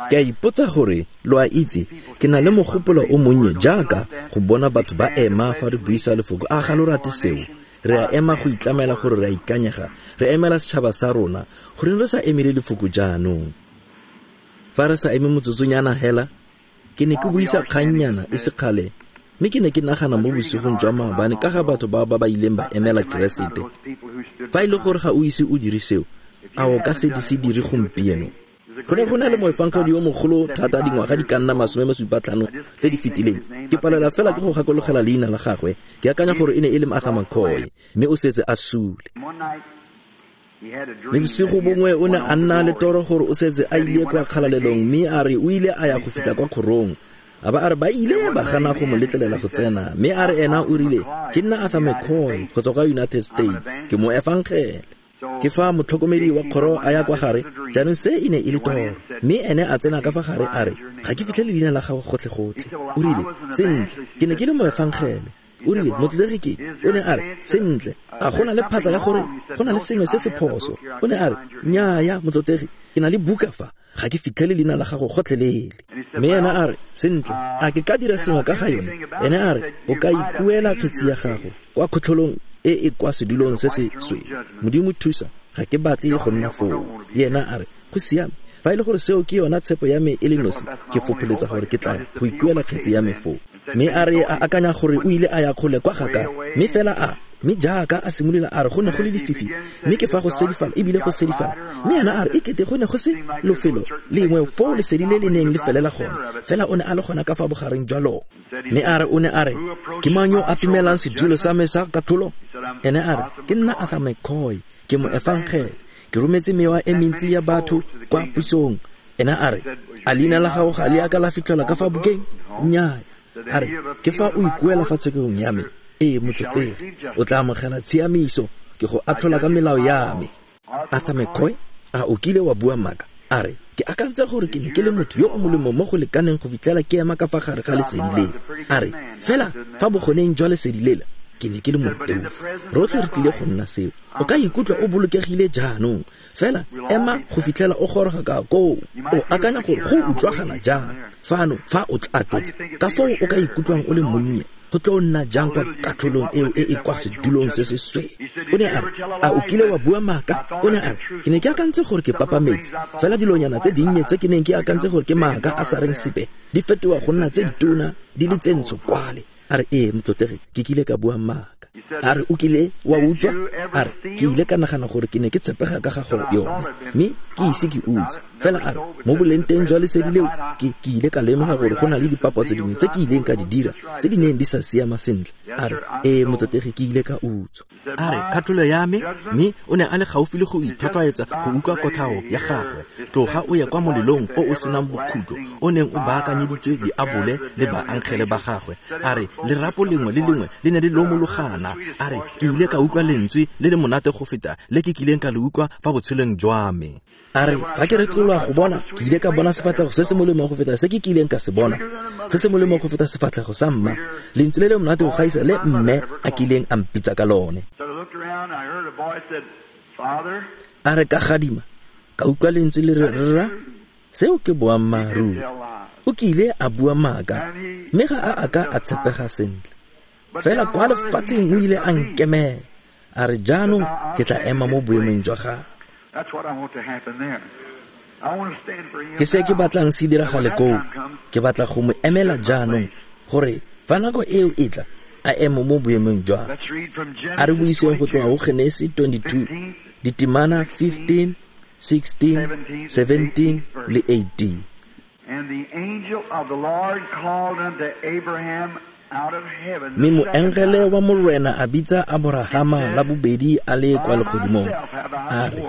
Ke a ipotsa gore lo a itse ke na le mogopolo o monnye jaaka go bona batho ba ema fa re buisa lefoko. A ga lo rate seo? Re a ema go itlamela gore re a ikanyega, re emela setšhaba sa rona. Goreng re sa emele lefoko jaanong? Fa re sa eme motsotsonyana hela, ke ne ke buisa kgannyana e sekgale, mme ke ne ke nagana mo bosigong jwa maabane ka ga batho ba ba ileng ba emela Keresete. Fa e le gore ga o ise o dire seo, a o ka se di se dire gompieno? Go ne go na le moefangedi yo mogolo thata dingwaga di ka nna 75 tse di fetileng. Ke palelwa fela ke go gakologela leina la gagwe. Ke akanya gore e ne e le Arthur McCoy, mme o setse a sule. Mme bosigo bongwe o ne a nna le toro gore o setse a ile kwa kgalalelong, mme a re o ile a ya go fitlha kwa kgorong. A ba a re ba ile ba gana go mo letlelela go tsena, mme a re ena o rile, ke nna Arthur McCoy go tswa kwa United States, ke mo efangele. Ke fa motlhokomedi wa kgoro a ya kwa gare, jaanong se e ne e le toro, mme ene a tsena ka fa gare a re, ga ke fitlhele leina la gago gotlhe-gotlhe. O rile, sentle, ke ne ke le moefangele. O rile, motlotlegi ke, o ne a re, sentle, a go na le phatla ya gore go na le sengwe se se phoso? O ne a re, nnyaya, motlotlegi, ke na le buka fa, ga ke fitlhele leina la gago gotlhelele. Mme ena a re, sentle, a ke ka dira sengwe ka ga yone? Ene a re, o ka ikuela kgetsi ya gago kwa kgotlholong e e kwa sedulong se se sweu. Modimo thusa, ga ke batle go nna foo. Le ena a re, go siame, fa e le gore seo ke yona tshepo ya me e le nosi, ke fopholetsa gore ke tla go ikuela kgetsi ya me foo. Mme a re a akanya gore o ile a ya kgole kwa ga ka, mme fela a, mme jaaka a simolola a re go ne go le lefifi, mme ke fa go sedifala ebile go sedifala. Mme ena a re e kete go ne go se lofelo lengwe foo lesedi le le neng le felela gone, fela o ne a le gona ka fa bogareng jwa lone. Mme a re o ne a re, ke mang yo a tumelang sedulo sa me sa katlholo? Ene a re, ke nna Arthur McCoy, ke mo efangele, ke rometse mewa e mentsi ya batho kwa pusong. Ena a re, a leina la gago ga le a ka la fitlhelwa ka fa bukeng? Nnyaya. A re, ke fa o ikuela fa tshekong ya me. Ee, motlotlegi, o tla amogela tshiamiso, ke go atlhola ka melao ya me. Arthur McCoy, a o kile wa bua maaka? A re, ke akantse gore ke ne ke le motho yo o molemo mo go lekaneng go fitlhela ke ema ka fa gare ga lesedi le. A re, fela fa bogoneng jwa lesedi lela, ke ne ke le moleofi. Rotlhe re tlile go nna seo. O ka ikutlwa o bolokegile jaanong, fela ema go fitlhela o goroga ka koo. O akanya gore go utlwagala jang fano fa o tla tlotsa ka foo o ka ikutlwang o le monnye, go tlo nna jang kwa katlholong eo e e kwa sedulong se se sweu? O ne a re, a o kile wa bua maaka? O ne a re, ke ne ke akantse gore ke papametse, fela dilonyana tse dinnye tse ke neng ke akantse gore ke maaka a sa reng sepe di fetoga go nna tse ditona di le tse ntsho kwale. A re, ee, motlotlegi, ke kile ka bua maaka. A re, o kile wa utswa? A re, ke ile ka nagana gore ke ne ke tshepega ka ga go yone, mme ke ise ke utswe. Fela a re, mo boleng teng jwa lesedi leo, ke ile ka lemoga gore go na le dipapatso dingwe tse ke ileng ka di dira tse di neng di sa siama sentle. A re, ee, motlotlegi, ke ile ka utswa. A re, katlholo ya me, mme o ne a le gaufi le go ithotwaetsa go utlwa kotlhao ya gagwe. Tloga o ye kwa molelong o o senang bokhutlo o neng o baakanyeditswe diabole le baangele ba gagwe. A re, lerapo lengwe le lengwe le ne le lomologana. A re, ke ile ka utlwa lentswe le le monate go feta le ke kileng ka le utlwa fa botshelong jwa me. A re, fa ke retologa go bona, ke ile ka bona sefatlhego se se molemo go feta se ke kileng ka se bona, se se molemo go feta sefatlhego sa mma, lentswe le le monate go gaisa le mme a kileng a mpitsa ka lone. A re, ka gadima, ka utlwa lentswe le re, rra, seo ke boammaaruri. O kile a bua maaka, mme ga a a ka a tshepega sentle. Fela kwa lefatsheng o ile a nkemela. A re, jaanong ke tla ema mo boemong jwa gagwe. Ke se ke batlang se diragale koo. Ke batla go mo emela jaanong, gore fa nako eo e tla, a eme mo boemong jwa gagwe. A re buiseng go tloga go Genesi 22, ditemana 15, 16, 17 le 18. And the angel of the Lord called unto Abraham out of heaven the Mme second moengele time. wa Morena a bitsa Aborahama la bobedi a le kwa legodimong, a re,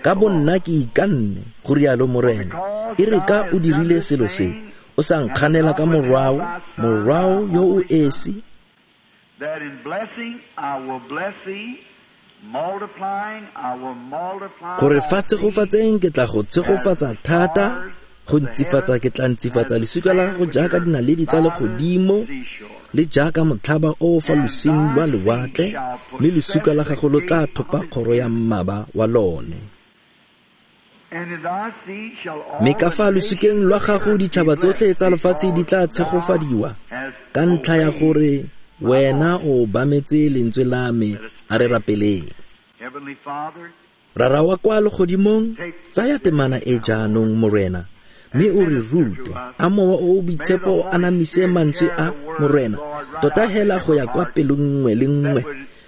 Ka bonna ke ikanne, go rialo Morena, e re ka o dirile selo se, o sa nkganela ka morwao, morwao yo o esi, That in blessing I will bless thee, multiplying I will multiply gore thy fa seed tshegofatseng ke tla go as tshegofatsa the thata, stars go of the ntsifatsa heaven ke tla ntsifatsa and the lesika la sand gago which jaaka are dinaledi tsa by the legodimo seashore. le jaaka motlhaba o o fa losing lwa lewatle, mme losuka la gago lo tla thopa kgoro ya mmaba wa lone. Mme ka fa losukeng lwa gago ditšhaba tsotlhe tsa lefatshe di tla tshegofadiwa, ka ntlha ya gore wena o obametse lentswe la me. A re rapeleng. Rara wa kwa legodimong, tsaya temana e jaanong, Morena, mme o re rute. A Mowa o o Boitshepo o anamise mantswe a, Morena, tota hela go ya kwa pelong nngwe le nngwe.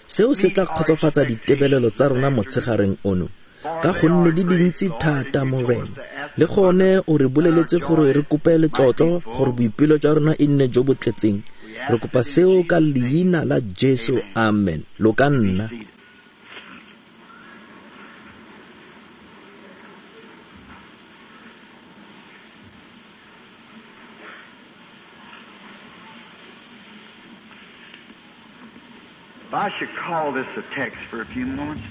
Seo se tla kgotsofatsa ditebelelo tsa rona motshegareng ono, ka gonne di dintsi thata, Morena. Le gone o re boleletse gore re kope letlotlo gore boipelo jwa rona e nne jo bo tletseng. Re kopa seo ka leina la Jesu, amen. Lo ka nna. I should call this a text for a few moments.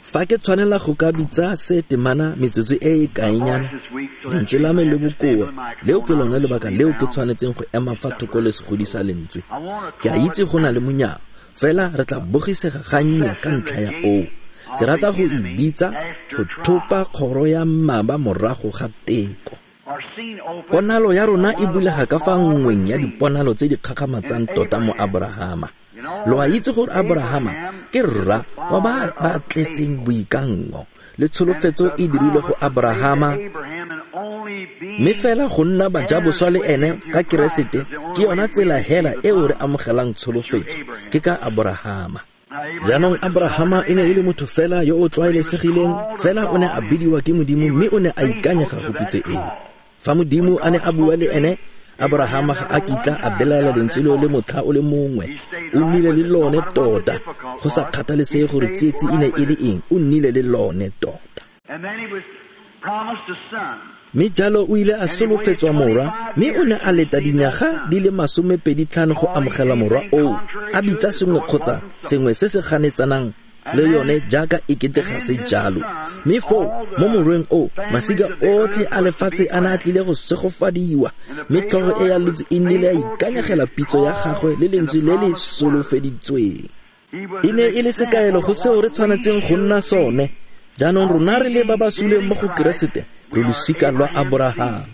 Fa ke tshwanela go ka bitsa se temana metsotso e e kaenyana, lentswe la me le bokoa, leo ke lone lebaka leo ke tshwanetseng go ema fa thoko le segodisa lentswe. Ke a itse go na le monyao, fela re tla bogisega gannye ka ntlha ya oo. Ke rata go e bitsa go thopa kgoro ya mmaba morago ga teko. Ponalo ya rona e bulega ka fa nngweng ya diponalo tse di kgakgamatsang tota mo Abrahama. Lo a itse gore Abrahama ke rra wa ba ba tletseng boikanngo, le tsholofetso e dirilwe go Abrahama, mme fela go nna bajaboswa le ene ka Keresete ke yona tsela hela eo re amogelang tsholofetso, ke ka Abrahama. Jaanong Abrahama e ne e le motho fela yo o tlwaelesegileng, fela o ne a bidiwa ke Modimo mme o ne a ikanyega go pitso eo. Fa Modimo a ne a bua le ene, Abrahama ga a kitla a belaela lentswe leo le motlha o le mongwe. O nnile le lone tota, go sa kgathalesege gore tsietsi e ne e le eng, o nnile le lone tota. Mme jalo o ile a solofetswa morwa, mme o ne a leta dinyaga di le 25 go amogela morwa oo, a bitsa sengwe kgotsa sengwe se se ganetsanang le yone jaaka ekete ga se jalo. Mme foo mo morweng o, masika otlhe a lefatshe a ne a tlile go segofadiwa, mme tlhogo e ya lotse e nnile ya ikanyegela pitso ya gagwe le lentswe le le solofeditsweng. E ne e le sekaelo go seo re tshwanetseng go nna sone. Jaanong rona re le ba ba suleng mo go Keresete, re losika lwa Aborahama.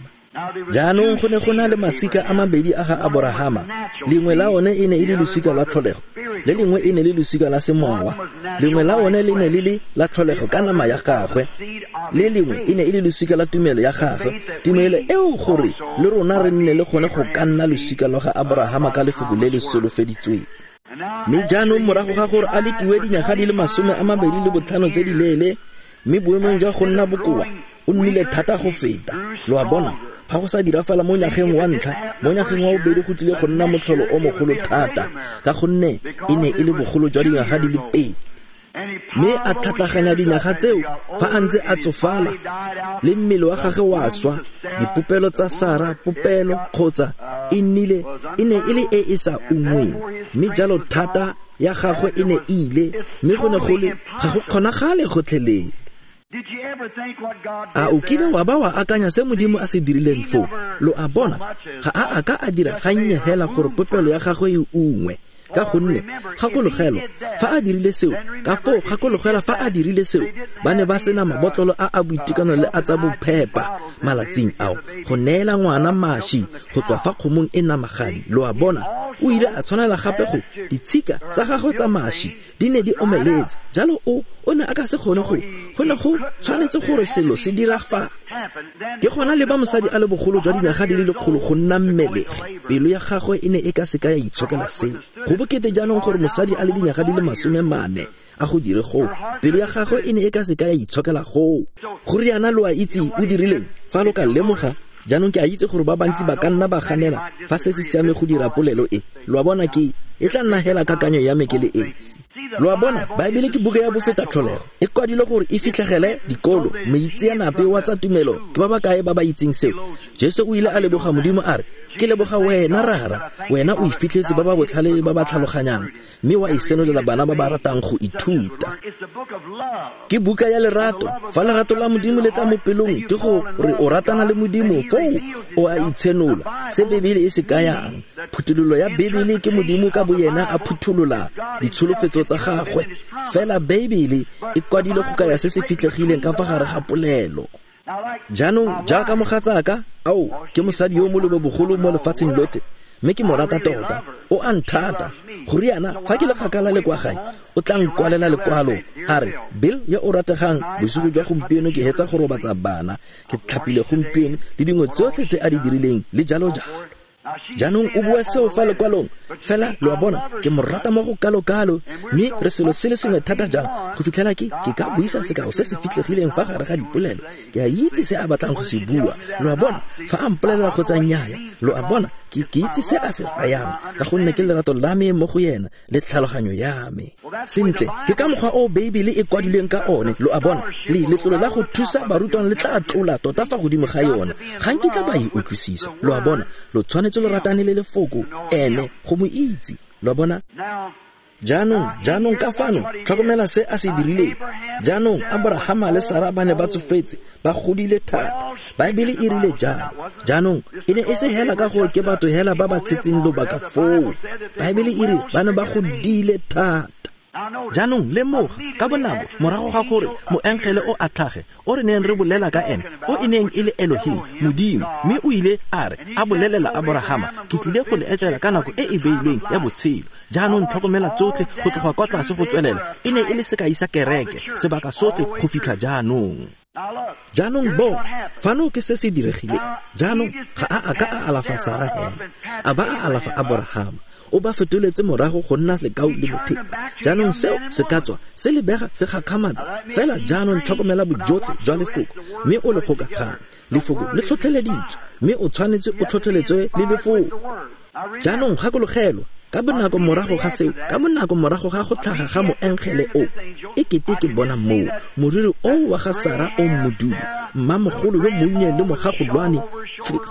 Jaanong go ne go na le masika a mabedi a ga Aborahama. Lengwe la one e ne e le losika lwa tlholego, le lengwe e ne le losika la semowa. Lengwe la one le ne le le la tlholego ka nama ya gagwe, le lengwe e ne e le losika la tumelo ya gagwe. Tumelo eo gore le rona re nne le gone go ka nna losika lwa ga Aborahama ka lefoko le le solofeditsweng. Mme jaanong morago ga gore a lekiwe dinyaga di le 25 tse di leele, mme boemong jwa go nna bokoa, o nnile thata go feta. Lo a bona, fa go sa dirafala mo nyageng wa ntlha, mo nyageng wa bobedi go tlile go nna motlholo o mogolo thata, ka gonne e ne e le bogolo jwa dinyaga di le 2. Mme a tlhatlaganya dinyaga tseo fa a ntse a tsofala, le mmele wa gagwe wa swa. Dipopelo tsa Sara, popelo kgotsa e nnile e ne e le e e sa ungweng, mme jalo thata ya gagwe e ne e ile, mme go ne go le ga go kgonagale gotlhelele. A o kile wa ba wa akanya se Modimo a se dirileng foo? Lo a bona, ga a a ka a dira gannye hela gore popelo ya gagwe e ungwe, ka gonne gakologelwa fa a dirile seo, ka foo gakologelwa fa a dirile seo, ba ne ba sena mabotlolo a a boitekanelo le a tsa bophepa malatsing ao go neela ngwana mashi go tswa fa kgomong e namagadi. Lo a bona, o ile a tshwanela gape go ditshika tsa gagwe tsa mashi di ne di omeletse, jalo o ne a ka se kgone go ne go tshwanetse gore selo se dirafale. Ke gona le ba mosadi a le bogolo jwa dinyaga di le 100 go nna mmelegi, pelo ya gagwe e ne e ka se ka ya itshokela seo. Go bokete jaanong gore mosadi a le dinyaga di le 40 a go dire goo, pelo ya gagwe e ne e ka se ka ya itshokela goo. Go riana lo a itse o dirileng, fa lo ka lemoga. Jaanong ke a itse gore ba bantsi ba ka nna ba ganela fa se se siame go dira polelo e. Lo a bona, ke e tla nna hela kakanyo ya me ke le esi. Lo a bona, Baebele ke buka ya bofeta tlholego, e kwadilwe gore e fitlhegele dikolo, moitseanape wa tsa tumelo ke ba ba kae ba ba itseng seo. Jesu o ile a leboga Modimo a re, Ke leboga wena Rara, wena o ifitlhetse ba ba botlhale le ba ba tlhaloganyang, mme wa e senolela bana ba ba ratang go ithuta. Ke buka ya lerato. Fa lerato la Modimo le tla mo pelong, ke gore o ratana le Modimo, foo o a itshenola. Se Bebele e se kayang. Phuthololo ya Bebele ke Modimo ka boyena a phutholola ditsholofetso tsa gagwe. Fela Bebele e kwadilwe go kaya se se fitlhegileng ka fa gare ga polelo. Jaanong jaaka mogatsaka, ao, ke mosadi yo molobo bogolo mo lefatsheng lotlhe, mme ke mo rata tota. O a nthata. Go riana, fa ke le kgakala le kwa gae, o tla nkwalela lekwalo a re, Bill yo o rategang, bosigo jwa gompieno ke hetsa go robatsa bana, ke tlhapile gompieno le dingwe tsotlhe tse a di dirileng le jalo jalo. Jaanong o bua seo fa lekwalong, fela lo a bona, ke mo rata mo go kalo-kalo, mme re selo se le sengwe thata jang go fitlhela ke ka buisa sekao se se fitlhegileng fa gare ga dipolelo. Ke a itse se a batlang go se bua, lo a bona, fa a mpolelela kgotsa nnyaya, lo a bona, ke itse se a se rayang, ka gonne ke lerato la me mo go yena le tlhaloganyo ya me. Sentle, ke ka mokgwa o Beibele e kwadilweng ka one, lo a bona, le letlolo la go thusa barutwana le tla tlola tota fa godimo ga yona. Ga nkitla ba e utlwisisa, lo a bona, lo tshwanetse lo ratane le lefoko, ene go mo itse, lo a bona. Jaanong ka fano, tlhokomela se a se dirileng. Jaanong Abrahama le Sara ba ne ba tsofetse, ba godile thata. Baebele e rile jalo. Jaanong e ne e se hela ka gore ke batho hela ba ba tshetseng lobaka foo. Baebele e re ba ne ba godile thata. Jaanong lemoga ka bonako morago ga gore moengele o a tlhage, o re neng re bolela ka ene, o e neng e le Elohim, Modimo, mme o ile a re a bolelela Abrahama, ke tlile go le etela ka nako e e beilweng ya botshelo. Jaanong tlhokomela tsotlhe go tloga kwa tlase go tswelela, e ne e le sekai sa kereke, sebaka sotlhe go fitlha jaanong. Jaanong bo, fano ke se se diregileng. Jaanong ga a ka a alafa Sara hela, a ba a alafa Abrahama. O ba fetoletse morago go nna lekau le mothepa. Jaanong seo se ka tswa se lebega se gakgamatsa, fela jaanong tlhokomela bojotlhe jwa lefoko, mme o le gokaganye. Lefoko le tlhotlheleditswe, mme o tshwanetse o tlhotlheletswe le lefoko. Jaanong gakologelwa, ka bonako morago ga seo, ka bonako morago ga go tlhaga ga moengele o, e kete ke bona moo moriri o wa ga Sara o modudu, mmamogolo yo monnye le mogagolwane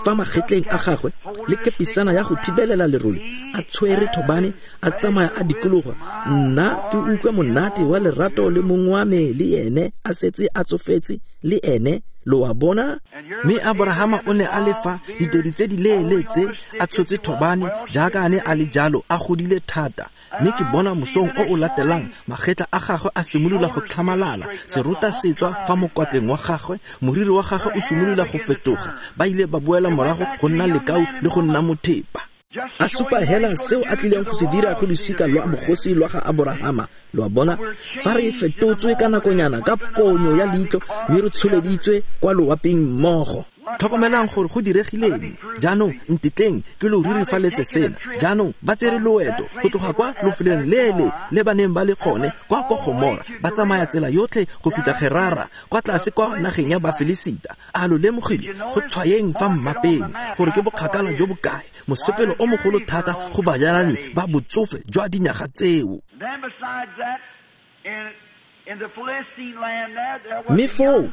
fa magetleng a gagwe, le kepisana ya go thibelela lerole, a tshwere thobane, a tsamaya a dikologa. Nna ke utlwa monate wa lerato le mongwe wa me le ene a setse a tsofetse le ene, lo a bona. Mme Abrahama o ne a le fa ditedu tse di leele tse, a tshotse thobane jaaka a ne a le jalo, a godile thata. Mme ke bona mosong o o latelang magetla a gagwe a simolola go tlhamalala, serota se tswa fa mokwatleng wa gagwe, moriri wa gagwe o simolola go fetoga. Ba ile ba boela morago go nna lekau le go nna mothepa. A supa hela seo a tlileng go se dira go losika lwa bogosi lwa ga Abrahama. Lo a bona, fa re fetotswe ka nakonyana ka ponyo ya leitlho, mme re tsholeditswe kwa loaping mmogo. Tlhokomelang gore go diregileng. Jaanong ntetleng ke lo rurifaletse sena. Jaanong ba tsere loeto go tloga kwa lofelong lele le ba neng ba le gone kwa kwa Gomora, ba tsamaya tsela yotlhe go fitlha Gerara, kwa tlase kwa nageng ya Bafilisita. A lo lemogile go tshwayeng fa mmapeng gore ke bokgakala jo bokae, mosepelo o mogolo thata go bajalani ba botsofe jwa dinyaga tseo. Mme foo,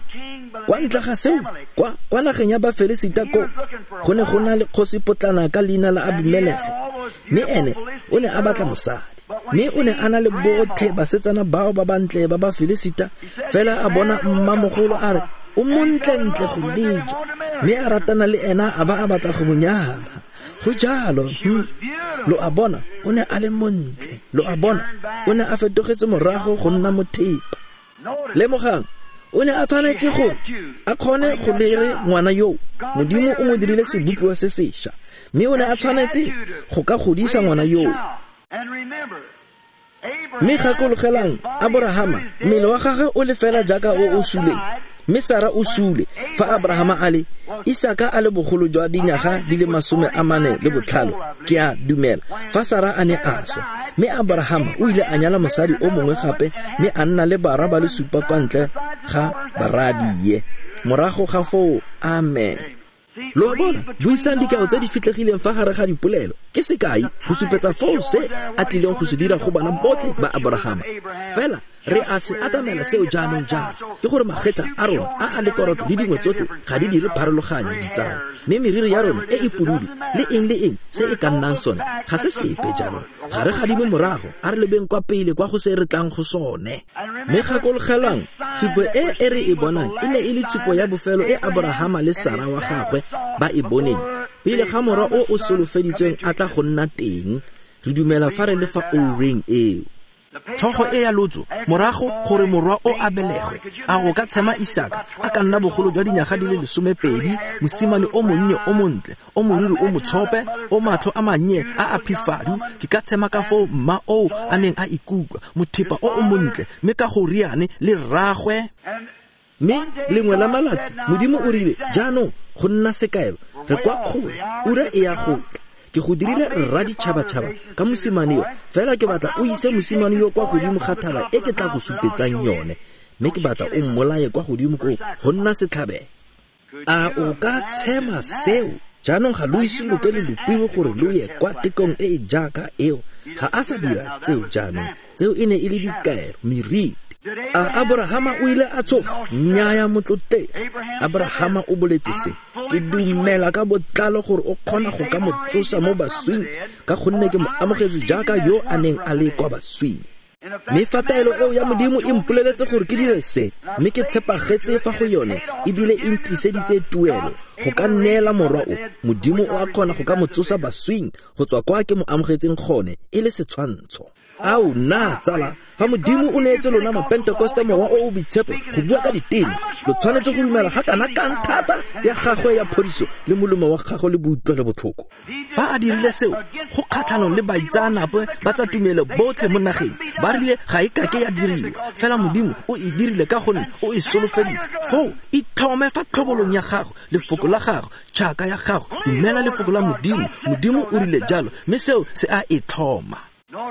kwa ntle ga seo, kwa nageng ya Bafilisita ko, go ne go na le kgosi potlana ka leina la Abimelege, mme ene o ne a batla mosadi. Mme o ne a na le botlhe basetsana bao ba bantle ba Bafilisita, fela a bona mmamogolo a re o montlentle go leja, mme a ratana le ena a ba a batla go mo nyala. Go jalo, lo a bona, o ne a le montle. Lo a bona, o ne a fetogetse morago go nna mothepa. Lemogang, o ne a tshwanetse gore a kgone go lere ngwana yo. Modimo o mo dirile sebopiwa se sešwa, mme o ne a tshwanetse go ka godisa ngwana yo. Mme gakologelang, Abrahama, mmele wa gagwe o le fela jaaka o o suleng, mme Sara o sule fa Abrahama a le Isaka a le bogolo jwa dinyaga di le 45, ke a dumela, fa Sara a ne a swa. Mme Abrahama o ile a nyala mosadi o mongwe gape, mme a nna le barwa ba le supa kwa ntle ga baradie. Morago ga foo, amen. Lo a bona, buisang dikao tse di fitlhegileng fa gare ga dipolelo ke sekai go supetsa foo se a tlileng go se dira go bana botlhe ba Aborahama. Fela re a se atamela seo jaanong jalo, ke gore magetla a rona a a lekoroto le dingwe tsotlhe ga di dire pharologanyo, ditsala, mme meriri ya rona e e pududu le eng le eng se e ka nnang sone ga se sepe. Jaanong ga re gadime morago, a re lebeng kwa pele kwa go se re tlang go sone. Mme gakologelwang, tshupo e e re e bonang e ne e le tshupo ya bofelo e Aborahama le Sara wa gagwe ba e boneng pele ga morwa o o solofeditsweng a tla go nna teng. Re dumela fa re le fa oureng eo. Tlhogo e ya lotso morago gore morwa o a belegwe, a o ka tshema Isaka a ka nna bogolo jwa dinyaga di le 12, mosimane o monnye o montle, o moriri o motshope, o matlho a mannye a a phifadu? Ke ka tshema ka foo mma oo a neng a ikutlwa, mothepa o o montle, mme ka go riane le rragwe. Mme lengwe la malatsi Modimo o rile, jaanong go nna sekaelo, re kwa kgole, ura e ya go tla. Ke go dirile rra ditšhabatšhaba ka mosimane yo, fela ke batla o ise mosimane yo kwa godimo ga thaba e ke tla go supetsang yone, mme ke batla o mmolaye kwa godimo koo go nna setlhabelo. A o ka tshema seo? Jaanong ga lo ise lo ke lo lopiwe gore lo ye kwa tekong e e jaaka eo. Ga a sa dira tseo jaanong. Tseo e ne e le dikaelo, meriti. A Aborahama o ile a tshoga? Nnyaya, motlotlegi. Aborahama o boletse se: ke dumela ka botlalo gore o kgona go ka mo tsosa mo baswing, ka gonne ke mo amogetse jaaka yo a neng a le kwa baswing. Mme fa taelo eo ya Modimo e mpoleletse gore ke dire se, mme ke tshepagetse fa go yone, ebile e ntliseditse tuelo go ka nneela morwa o, Modimo o a kgona go ka mo tsosa baswing go tswa kwa ke mo amogetseng gone e le setshwantsho. Ao nna tsala, fa Modimo o neetse lona Mapentekoste Mowa o o Boitshepo go bua ka diteme, lo tshwanetse go dumela ga kana kang thata ya gagwe ya phodiso le molemo wa gagwe le boutlwelo botlhoko. Fa a dirile seo go kgatlhanong le baitseanape ba tsa tumelo botlhe mo nageng, ba rile ga e kake ya diriwa, fela Modimo o e dirile ka gonne o e solofeditse. Foo itlhome fa tlhobolong ya gago, lefoko la gago, tšhaka ya gago, dumela lefoko la Modimo. Modimo o rile jalo, mme seo se a e tlhoma.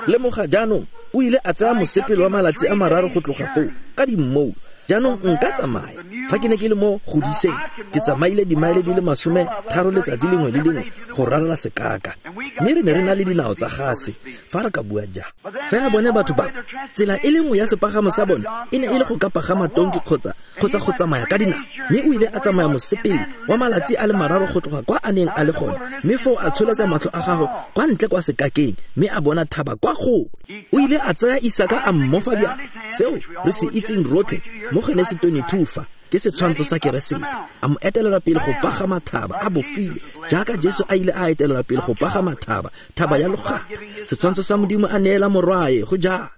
Lemoga jaanong, o ile a tsaya mosepele wa malatsi a mararo go tloga foo ka dimmoulo. Jaanong nka tsamaya, fa ke ne ke le mo godiseng, ke tsamaile dimaele di le 30 letsatsi lengwe le lengwe go ralala sekaka, mme re ne re na le dinao tsa gase fa re ka bua jang. Fela bone batho ba, tsela e le nngwe ya sepagamo sa bone e ne e le go ka pagama tonki kgotsa go tsamaya ka dinao. Mme o ile a tsamaya mosepele wa malatsi a le mararo go tloga kwa a neng a le gone, mme foo a tsholetsa matlho a gagwe kwa ntle kwa sekakeng, mme a bona thaba kwa gole. O ile a tsaya Isaka a mmofa diatla, seo re se itseng rotlhe mo Genesi 22 fa ke setshwantsho sa Keresete, a mo etelela pele go pagama thaba a bofilwe, jaaka Jesu a ile a etelela pele go pagama thaba, thaba ya logata, setshwantsho sa Modimo a neela morwae go jalo.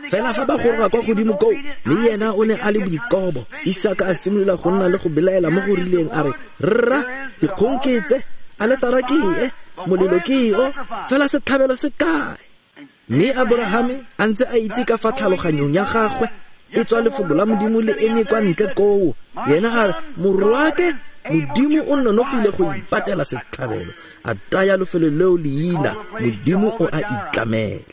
Fela fa ba goroga kwa godimo koo, mme yena o ne a le boikobo, Isaka a simolola go nna le go belaela mo go rileng, a re, rra, dikgong ke tse, aletara ke e, molelo ke o, fela setlhabelo se kae? Mme Aborahame a ntse a itse ka fa tlhaloganyong ya gagwe e tswa lefoko la Modimo le eme kwa ntle koo, yena a re, morwake, Modimo o nonofile go ipatela setlhabelo. A taya lefelo leo leina, Modimo o a itlamela.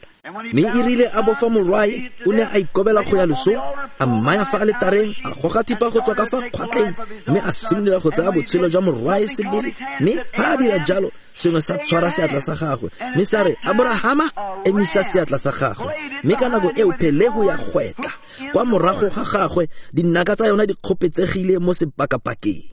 Mme e rile a bofa morwae, o ne a ikobela go ya losong, a mmaya fa aletareng, a goga thipa go tswa ka fa kgwatleng, mme a simolola go tsaya botshelo jwa morwae sebele. Mme fa a dira jalo, sengwe sa tshwara seatla sa gagwe, mme sa re, Aborahama, emisa seatla sa gagwe. Mme ka nako eo phelehu ya gwetla kwa morago ga gagwe, dinaka tsa yona di kgopetsegile mo sepakapakeng.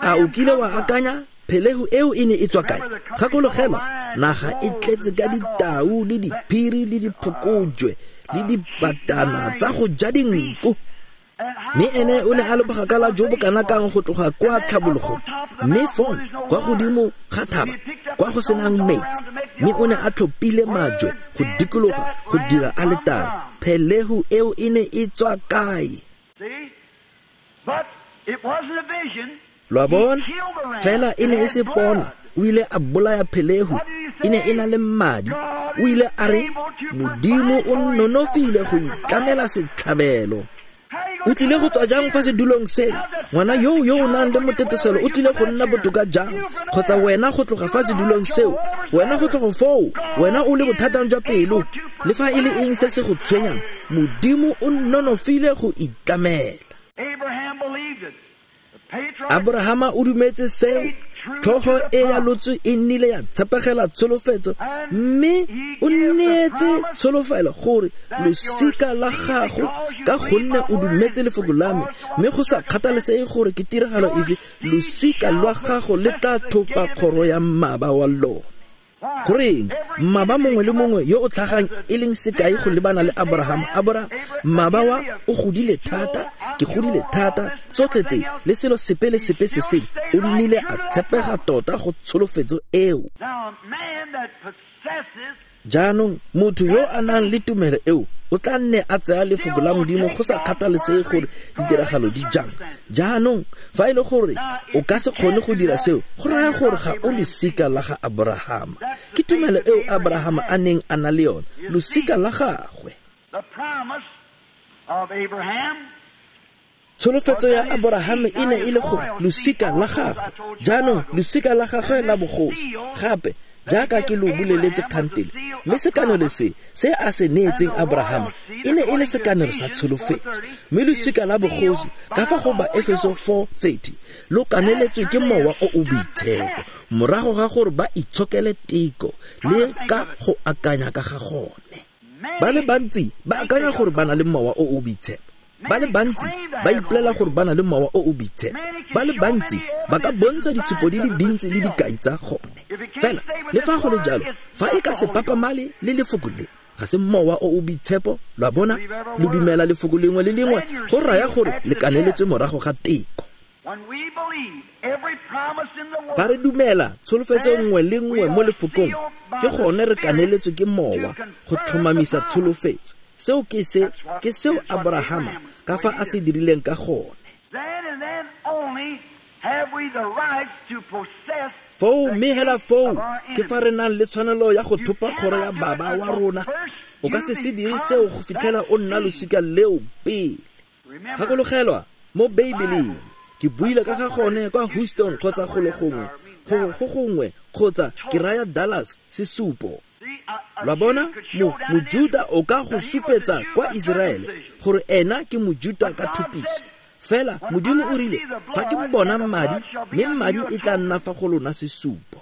A o kile wa akanya phelehu eo e ne e tswa kae? Gakologelwa, naga e tletse ka ditau le diphiri le diphokojwe le dibatana tsa go ja dinku. Mme ene o ne a le bogakala jo bo kana kang go tloga kwa tlhabologong, mme fong kwa godimo ga thaba kwa go senang metsi, mme o ne a tlhophile majwe go dikologa go dira aletare. Phelehu eo e ne e tswa kae? Lo a bona, fela e ne e se pona. O ile a bolaya phelehu, e ne e na le madi. O ile a re, Modimo o nonofile go itlamela setlhabelo. O tlile go tswa jang fa sedulong seo? Ngwana yo o nang le moteteselo o tlile go nna botoka jang? Kgotsa wena go tloga fa sedulong seo, wena go tloga foo, wena o le bothatang jwa pelo, le fa e le eng se se go tshwenyang, Modimo o nonofile go itlamela. Abrahama o dumetse seo, tlhogo e ya lotso e nnile ya tshepegela tsholofetso, mme o neetse tsholofelo gore losika la gago, ka gonne o dumetse lefoko la me, mme go sa kgathalesege gore ke tiragalo efe, losika lwa gago le tla thopa kgoro ya mmaba wa lone. Goreng mmaba mongwe le mongwe yo o tlhagang e leng sekai go lebana le Abraham, mmaba wa o godile thata, ke godile thata, tsotlhe tse le selo sepe le sepe se sengwe, o nnile a tshepega tota go tsholofetso eo. Jaanong motho yo a nang le tumelo eo o tla nne a tsaya lefoko la Modimo go sa kgathalesege gore ditiragalo di jang. Jaanong fa e le gore o ka se kgone go dira seo, go raya gore ga o losika la ga Abrahama. Ke tumelo eo Abrahama a neng a na le yone, losika la gagwe. Tsholofetso ya Abraham e ne e le gore losika la gagwe, jaanong losika la gagwe la bogosi, gape jaaka ke lo boleletse kgantele, mme sekanelo se se a se neetseng Abraham e ne e le sekanelo sa tsholofetso, mme losika la bogosi ka fa go ba Efeso 4:30 lo kaneletswe ke mowa o o boitshepo morago ga gore ba itshokele teko le ka go akanya ka ga gone. Ba le bantsi ba akanya gore ba na le mowa o o boitshepo, ba le bantsi ba ipolela gore ba na le mowa o o boitshepo, ba le bantsi ba ka bontsha ditshupo di le dintsi le dikai tsa gone. Fela le fa go le jalo, fa e ka se papamale le lefoko le, ga se mowa o o boitshepo. Lo a bona, lo dumela lefoko lengwe le lengwe, go raya gore le kaneletswe morago ga teko. Fa re dumela tsholofetso nngwe le nngwe mo lefokong, ke gone re kaneletswe ke mowa go tlhomamisa tsholofetso. Seo ke se, ke seo Abrahama ka fa a se dirileng ka gone. Foo, mme hela foo ke fa re nang le tshwanelo ya go thopa kgoro ya baba wa rona. O ka se se dire seo go fitlhela o nna losika leo pele. Gakologelwa mo Beibeleng, ke buile ka ga gone kwa Houston kgotsa golo gongwe, go gongwe, kgotsa ke raya Dallas, sesupo. Lwa bona, Mojuda o ka go supetsa kwa Iseraele gore ena ke Mojuda ka thupiso. Fela Modimo o rile, fa ke bona madi, mme madi e tla nna fa go lona sesupo.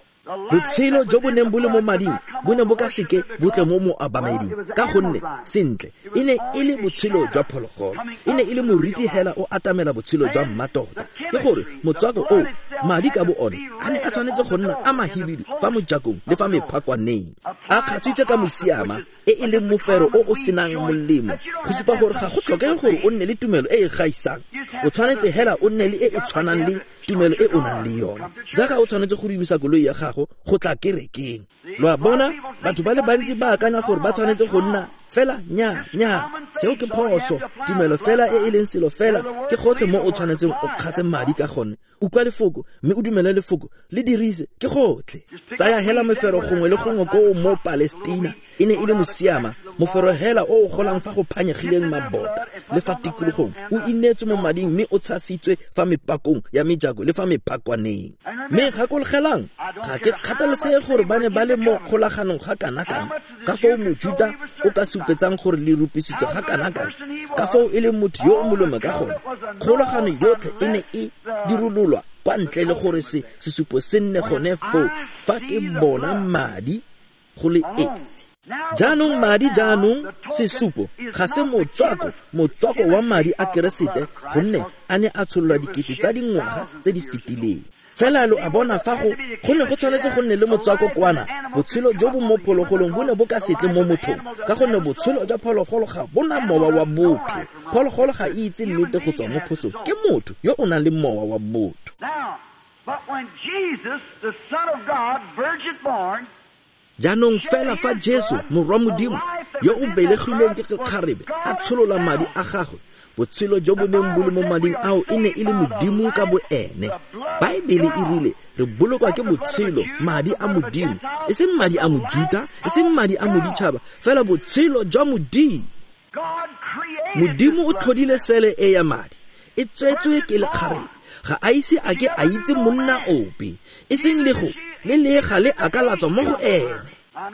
Botshelo jo bo neng bo le mo mading bo ne bo ka seke bo tle mo moabameding, ka gonne sentle e ne e le botshelo jwa phologolo, e ne e le moriti hela o atamela botshelo jwa mmatota. Ke gore motswako o madi ka bo one a ne a tshwanetse go nna a mahibidu fa mojakong le fa mephakwaneng, a kgatswitse ka mosiama e e leng mofero o o senang molemo, go supa gore ga go tlhokege gore o nne le tumelo e e gaisang. O tshwanetse hela o nne le e e tshwanang le tumelo e o nang le yone, jaaka o tshwanetse go dumisa koloi ya gago go tla kerekeng. Lo a bona, batho ba le bantsi ba akanya gore ba tshwanetse go nna fela nya nya, seo ke phoso. Tumelo fela e e leng selo fela ke gotlhe mo o tshwanetseng o kgatse madi ka gone. Utlwa lefoko mme o dumele lefoko, le dirise, ke gotlhe. Tsaya hela mefero gongwe le gongwe koo mo Palestina, e ne e le mosiama, mofero hela o o golang fa go phanyegileng mabota le fa tikologong, o inetswe mo mading mme o tshasitswe fa mepakong ya mejako le fa mephakwaneng. Mme gakologelang, ga ke kgathalesege gore ba ne ba le mo kgolaganong ga kana-kana, ka foo Mojuda o ka supetsang gore le rupisitswe ga kana-kana, ka foo e leng motho yo o molemo ka gone. Kgolagano yotlhe e ne e dirololwa kwa ntle le gore se sesupo se nne gone foo fa ke bona madi go le esi. Jaanong madi, jaanong sesupo ga se motswako, motswako wa madi a Keresete, gonne a ne a tshololwa dikete tsa dingwaga tse di fetileng. Fela lo a bona fa go ne go tshwanetse go nne le motswako kwana, botshelo jo bo mo phologolong bo ne bo ka se tle mo mothong, ka gonne botshelo jwa phologolo ga bona mowa wa botho. Phologolo ga e itse nnete go tswa mo phosong, ke motho yo o nang le mowa wa botho. Jaanong fela fa Jesu morwa Modimo yo o belegilweng ke kgarebe a tsholola madi a gagwe, botshelo jo bo neng bo le mo mading ao e ne e le Modimo ka bo ene. Baebele e rile re bolokwa ke botshelo, madi a Modimo, e seng madi a Mojuta, e seng madi a moditšhaba, fela botshelo jwa Modimo. Modimo o tlhodile sele e ya madi, e tswetswe ke lekgarebe, ga a ise a ke a itse monna ope, e seng le go le lega le a ka latswa mo go ene.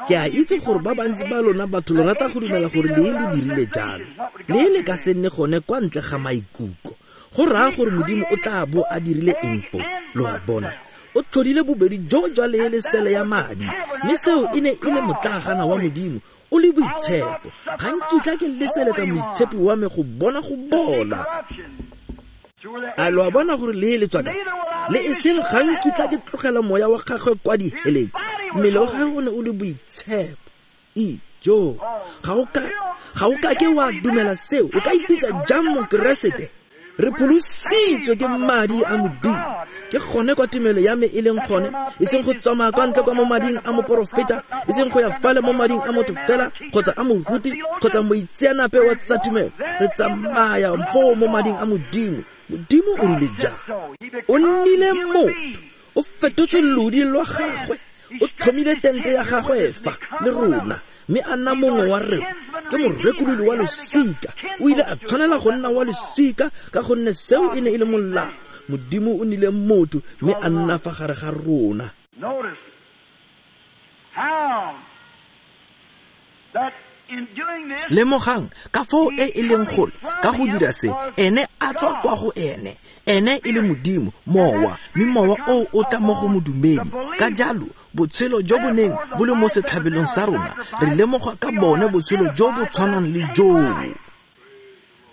Ke a itse gore ba bantsi ba lona batho lo rata go dumela gore lee le dirile jalo. Lee le ka se nne gone kwa ntle ga maikutlo. Go raya gore Modimo o tla bo a dirile eng foo? Lo a bona, o tlhodile bobedi jo jwa lee le sele ya madi, mme seo e ne e le motlaagana wa Modimo o le boitshepo. Ga nkitla ke leseletsa moitshepi wa me go bona go bola. A lo a bona gore lee le tswa kae? Le e seng ga nkitla ke tlogela moya wa gagwe kwa diheleng. Mmele wa gagwe o ne o le boitshepo. Ijo, ga o ka ke wa dumela seo. O ka ipitsa jang Mokeresete? Re pholositswe ke madi a Modimo. Ke gone kwa tumelo ya me e leng gone, e seng go tsamaya kwa ntle kwa mo mading a moporofeta, e seng go ya fale mo mading a motho fela kgotsa a moruti kgotsa moitseanape wa tsa tumelo. Re tsamaya foo mo mading a Modimo. Modimo o rile jang? O nnile motho, o fetotse lodi lwa gagwe, o tlhomile tente ya gagwe fa le rona, mme a nna mongwe wa rona. Ke morekolodi wa losika. O ile a tshwanela go nna wa losika ka gonne seo e ne e le molao. Modimo o nnile motho mme a nna fa gare ga rona. Lemogang ka foo e e leng gore ka go dira se, ene a tswa kwa go ene, ene e le Modimo, mowa, mme mowa o o tla mo go modumedi. Ka jalo botshelo jo bo neng bo le mo setlhabelong sa rona, re lemoga ka bone botshelo jo bo tshwanang le joo.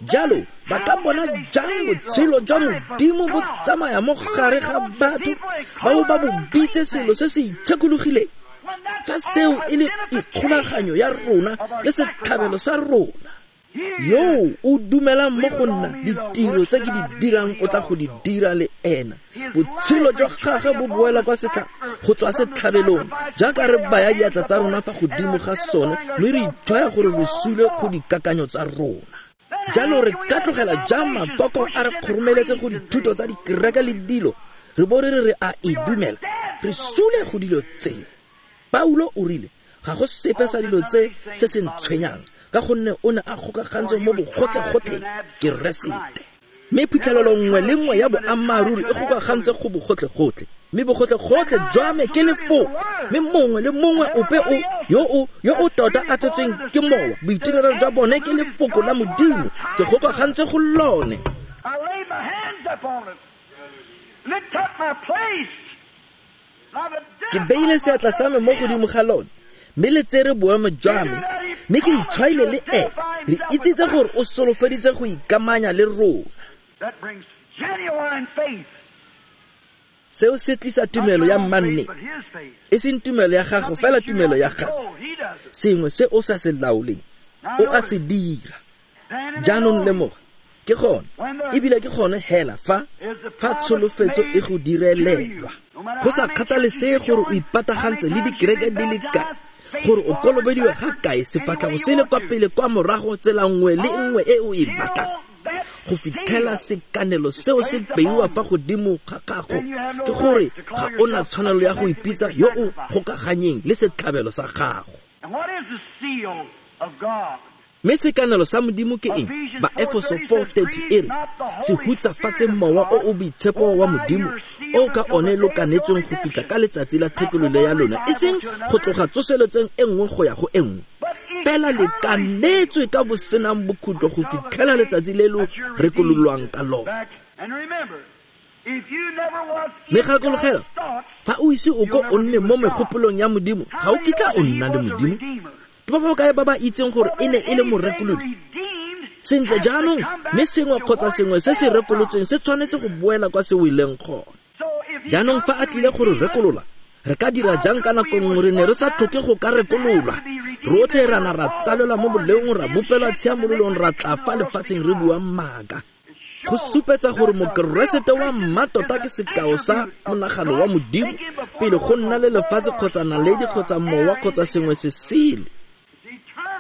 Jalo ba ka bona jang botshelo jwa Modimo bo tsamaya mo gare ga batho ba bo ba bo bitse selo se se itshekologileng, fa seo e le ikgolaganyo ya rona le setlhabelo sa rona? Yo o dumelang mo go nna, ditiro tse ke di dirang o tla go di dira le ena. Botshelo jwa gagwe bo boela kwa go tswa setlhabelong, jaaka re baya diatla tsa rona fa godimo ga sone mme re itshwaya gore re sule go dikakanyo tsa rona. Jalo re ka tlogela jang makoko a re kgoromeletse go dithuto tsa dikereke le dilo, re bo re re a e dumela? Re sule go dilo tse. Paulo o rile ga go sepe sa dilo tse se se ntshwenyang, ka gonne o ne a gokagantswe mo bogotlhe-gotlhe Keresete. Mme phitlhelelo nngwe le nngwe ya boammaaruri e gokagantswe go bogotlhe-gotlhe, mme bogotlhe-gotlhe jwa me ke lefoko. Mme mongwe le mongwe ope o yo o tota a tsetsweng ke mowa, boitirelo jwa bone ke lefoko la Modimo, ke gokagantswe go lone. Ke beile seatla sa me mo godimo ga lone, mme le tsere boemo jwa me, mme ke itshwaile le ene. Re itsitse gore o solofeditse go ikamanya le rona. Seo se tlisa tumelo ya mmanne, e seng tumelo ya gago fela, tumelo ya gago, sengwe se o sa se laoleng, o a se dira. Jaanong lemoga, ke gone, ebile ke gone hela fa tsholofetso e go direlelwa. Go sa kgathalesege gore o ipatagantse le dikereke di le kae, gore o kolobediwe ga kae, sefatlhego se le kwa pele kwa morago, tsela nngwe le nngwe e o e batlang, go fitlhela sekanelo seo se beiwa fa godimo ga gago, ke gore ga o na tshwanelo ya go ipitsa yo o gokaganyeng le setlhabelo sa gago. Mme sekanelo sa Modimo ke eng? Baefeso 4:30 e re, se hutsafatse mowa o o boitshepo wa Modimo o ka one lo kanetsweng go fitlha ka letsatsi la thekololo ya lona, e seng go tloga tsoseletseng e nngwe go ya go e nngwe, fela le kanetswe ka bosenang bokhutlo go fitlhela letsatsi le lo rekololwang ka lone. Mme gakologela, fa o ise o ko o nne mo megopolong ya Modimo, ga o kitla o nna le Modimo. Ke ba ba kae ba ba itseng gore e ne e le morekolodi? Sentle jaanong, mme sengwe kgotsa sengwe se se rekolotsweng se tshwanetse go boela kwa se weleng gone. Jaanong fa a tlile gore rekolola, re ka dira jang ka nako nngwe re ne re sa tlhoke go ka rekololwa? Rotlhe ra na ra tsalelwa mo boleong, ra bopelwa tshiamololong, ra tla fa lefatsheng re bua maaka. Go supetsa gore Mokeresete wa mmatota ke sekao sa monagano wa Modimo pele go nna le lefatshe kgotsa naledi kgotsa mowa kgotsa sengwe se sele.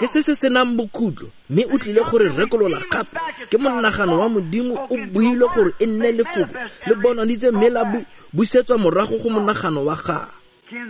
Ke se se senang bokhutlo, mme o tlile gore rekolola gape. Ke monagano wa Modimo o builwe gore e nne lefoko le bonaditse mme la busetswa morago go monagano wa gagwe,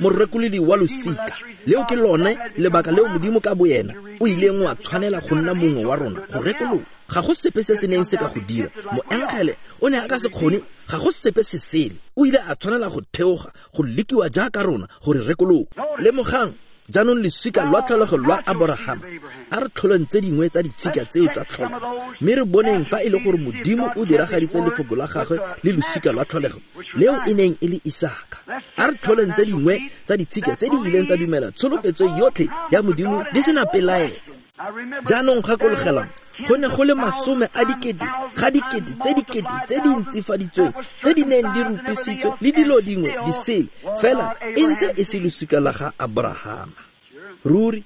morekolodi wa losika. Leo ke lone lebaka leo Modimo ka boyena o ileng wa tshwanela go nna mongwe wa rona go rekolola. Ga go sepe se se neng se ka go dira. Moengele o ne a ka se kgone, ga go sepe se sele. O ile a tshwanela go theoga, go lekiwa jaaka rona gore rekolola. Lemogang, Jaanong losika lwa tlholego lwa Aborahama, a re tlholeng tse dingwe tsa ditshika tseo tsa tlholego, mme re boneng fa e le gore Modimo o diragaditse lefoko la gagwe le losika lwa tlholego leo e neng e le Isaka. A re tlholeng tse dingwe tsa ditshika tse di ileng tsa dumela tsholofetso yotlhe ya Modimo di sena pelaelo. Jaanong gakologelang, go ne go le masome a dikete ga dikete tse dikete tse di ntsifaditsweng tse di neng di rupisitswe le dilo dingwe di sele, fela e ntse e se losika la ga Aborahama. Ruri,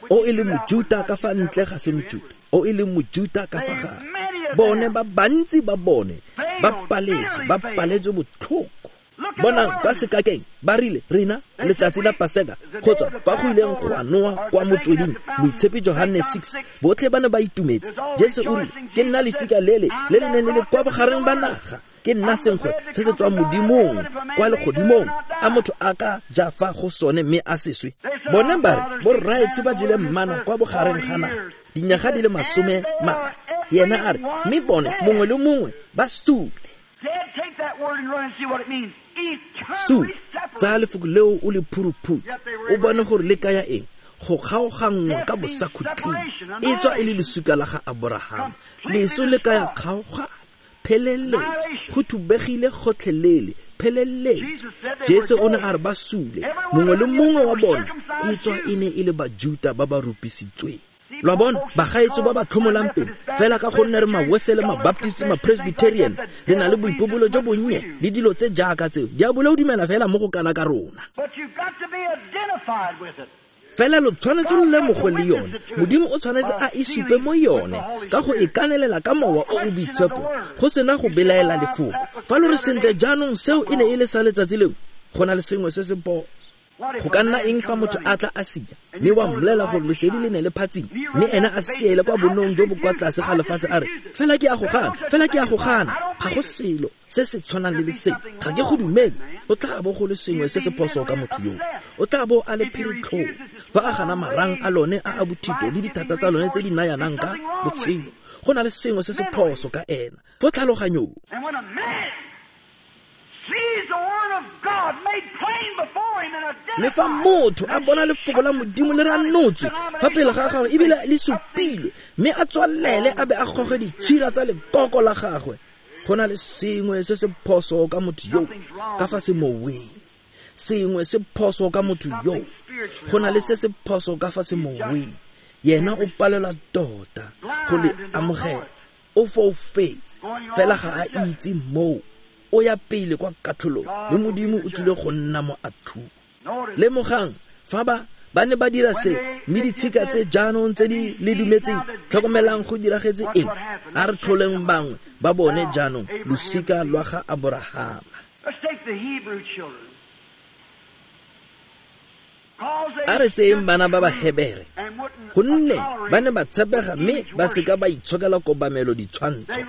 o e le Mojuta ka fa ntle ga se Mojuta, o e le Mojuta ka fa gare. Bone ba bantsi ba bone ba paletswe botlhoko. Bonang kwa sekakeng ba rile rena letsatsi la Paseka kgotsa kwa go ileng go a noa kwa motsweding, Moitshepi Johanne 6, botlhe ba ne ba itumetse. Jesu o rile, ke nna lefika lele le le neng le le kwa bogareng ba naga, ke nna senkgwe se se tswang Modimong kwa legodimong, a motho a ka ja fa go sone mme a se swe. Bone ba re borraetsho ba jele mmana kwa bogareng ga naga dinyaga di le 40. Yena a re, mme bone mongwe le mongwe ba sule. Sule, tsaya lefoko leo o le phuruphutse, o bone gore le kaya eng. Go kgaoganngwa ka bosakhutleng, e tswa e le losika la ga Aborahama. Leso le kaya kgaogana, pheleletso, go thubegile gotlhelele, pheleletso. Jesu o ne a re ba sule, mongwe le mongwe wa bona e tswa e ne e le Bajuta ba ba rupisitsweng. Lwa bona, bagaetso ba ba tlhomolang pelo, fela ka gonne re Mawesele, Mabaptist, Mapresbyterian, re na le boipobolo jo bonnye le dilo tse jaaka tseo. Diabolo o dumela fela mo go kana ka rona. Fela lo tshwanetse lo lemogwe le yone. Modimo o tshwanetse a e supe mo yone ka go e kanelela ka mowa o o boitshepo, go sena go belaela lefoko. Fa lo re sentle jaanong seo e ne e le sa letsatsi lengwe, go na le sengwe se se phoso. Go ka nna eng fa motho a tla a sia, mme wa mmolela gore lesedi le ne le phatsima, mme ena a siele kwa bonnong jo bo kwa tlase ga lefatshe a re, fela ke a go gana, fela ke a go gana, ga go selo se se tshwanang le lesedi, ga ke go dumele. O tla bo go le sengwe se se phoso ka motho yo. O tla bo a le phiritlhong fa a gana marang a lone a a bothito le dithata tsa lone tse di nayanang ka botshelo. Go na le sengwe se se phoso ka ena fo tlhaloganyong. Mme fa motho a bona lefoko la Modimo le ranotswe fa pele ga gagwe ebile le supilwe, mme a tswalele a be a goge ditshira tsa lekoko la gagwe, go na le sengwe se se phoso ka motho yo ka fa semoweng. Sengwe se phoso ka motho yo, go na le se se phoso ka fa semoweng. Yena o palelwa tota go le amogela, o foufetse fela ga a itse moo. O ya pele kwa katlholong, le Modimo o tlile go nna mo atlhong. Lemogang fa ba ne ba dira se, mme ditshika tse jaanong tse di le dumetseng, tlhokomelang go diragetse eng. A re tlholeng bangwe ba bone jaanong, losika lwa ga Aborahama. A re tseyeng bana ba Bahebere, gonne ba ne ba tshepega mme ba seka ba itshokela kobamelo ditshwantsho.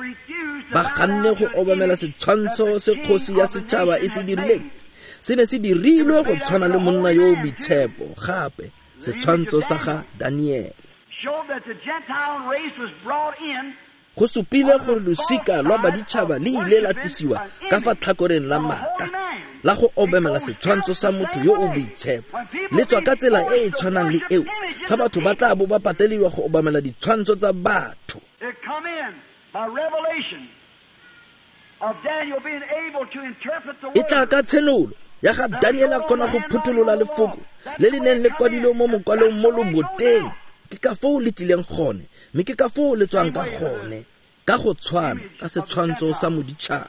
Ba ganne go obamela setshwantsho se kgosi ya setšhaba e se dirileng. Se ne se dirilwe go tshwana le monna yo o boitshepo, gape setshwantsho sa ga Daniele. Go supile gore losika lwa baditšhaba le ile la tlisiwa ka fa tlhakoreng la maaka la go obamela setshwantsho sa motho yo o boitshepo. Le tswa ka tsela e e tshwanang le eo fa batho ba tla bo ba pateliwa go obamela ditshwantsho tsa batho. E tla ka tshenolo ya ga Daniel a kgona go phutholola lefoko le le neng le kwadilwe mo mokwalong mo loboteng. Ke ka foo le tlileng gone, mme ke ka foo le tswang ka gone, ka go tshwana ka setshwantsho sa moditšhaba.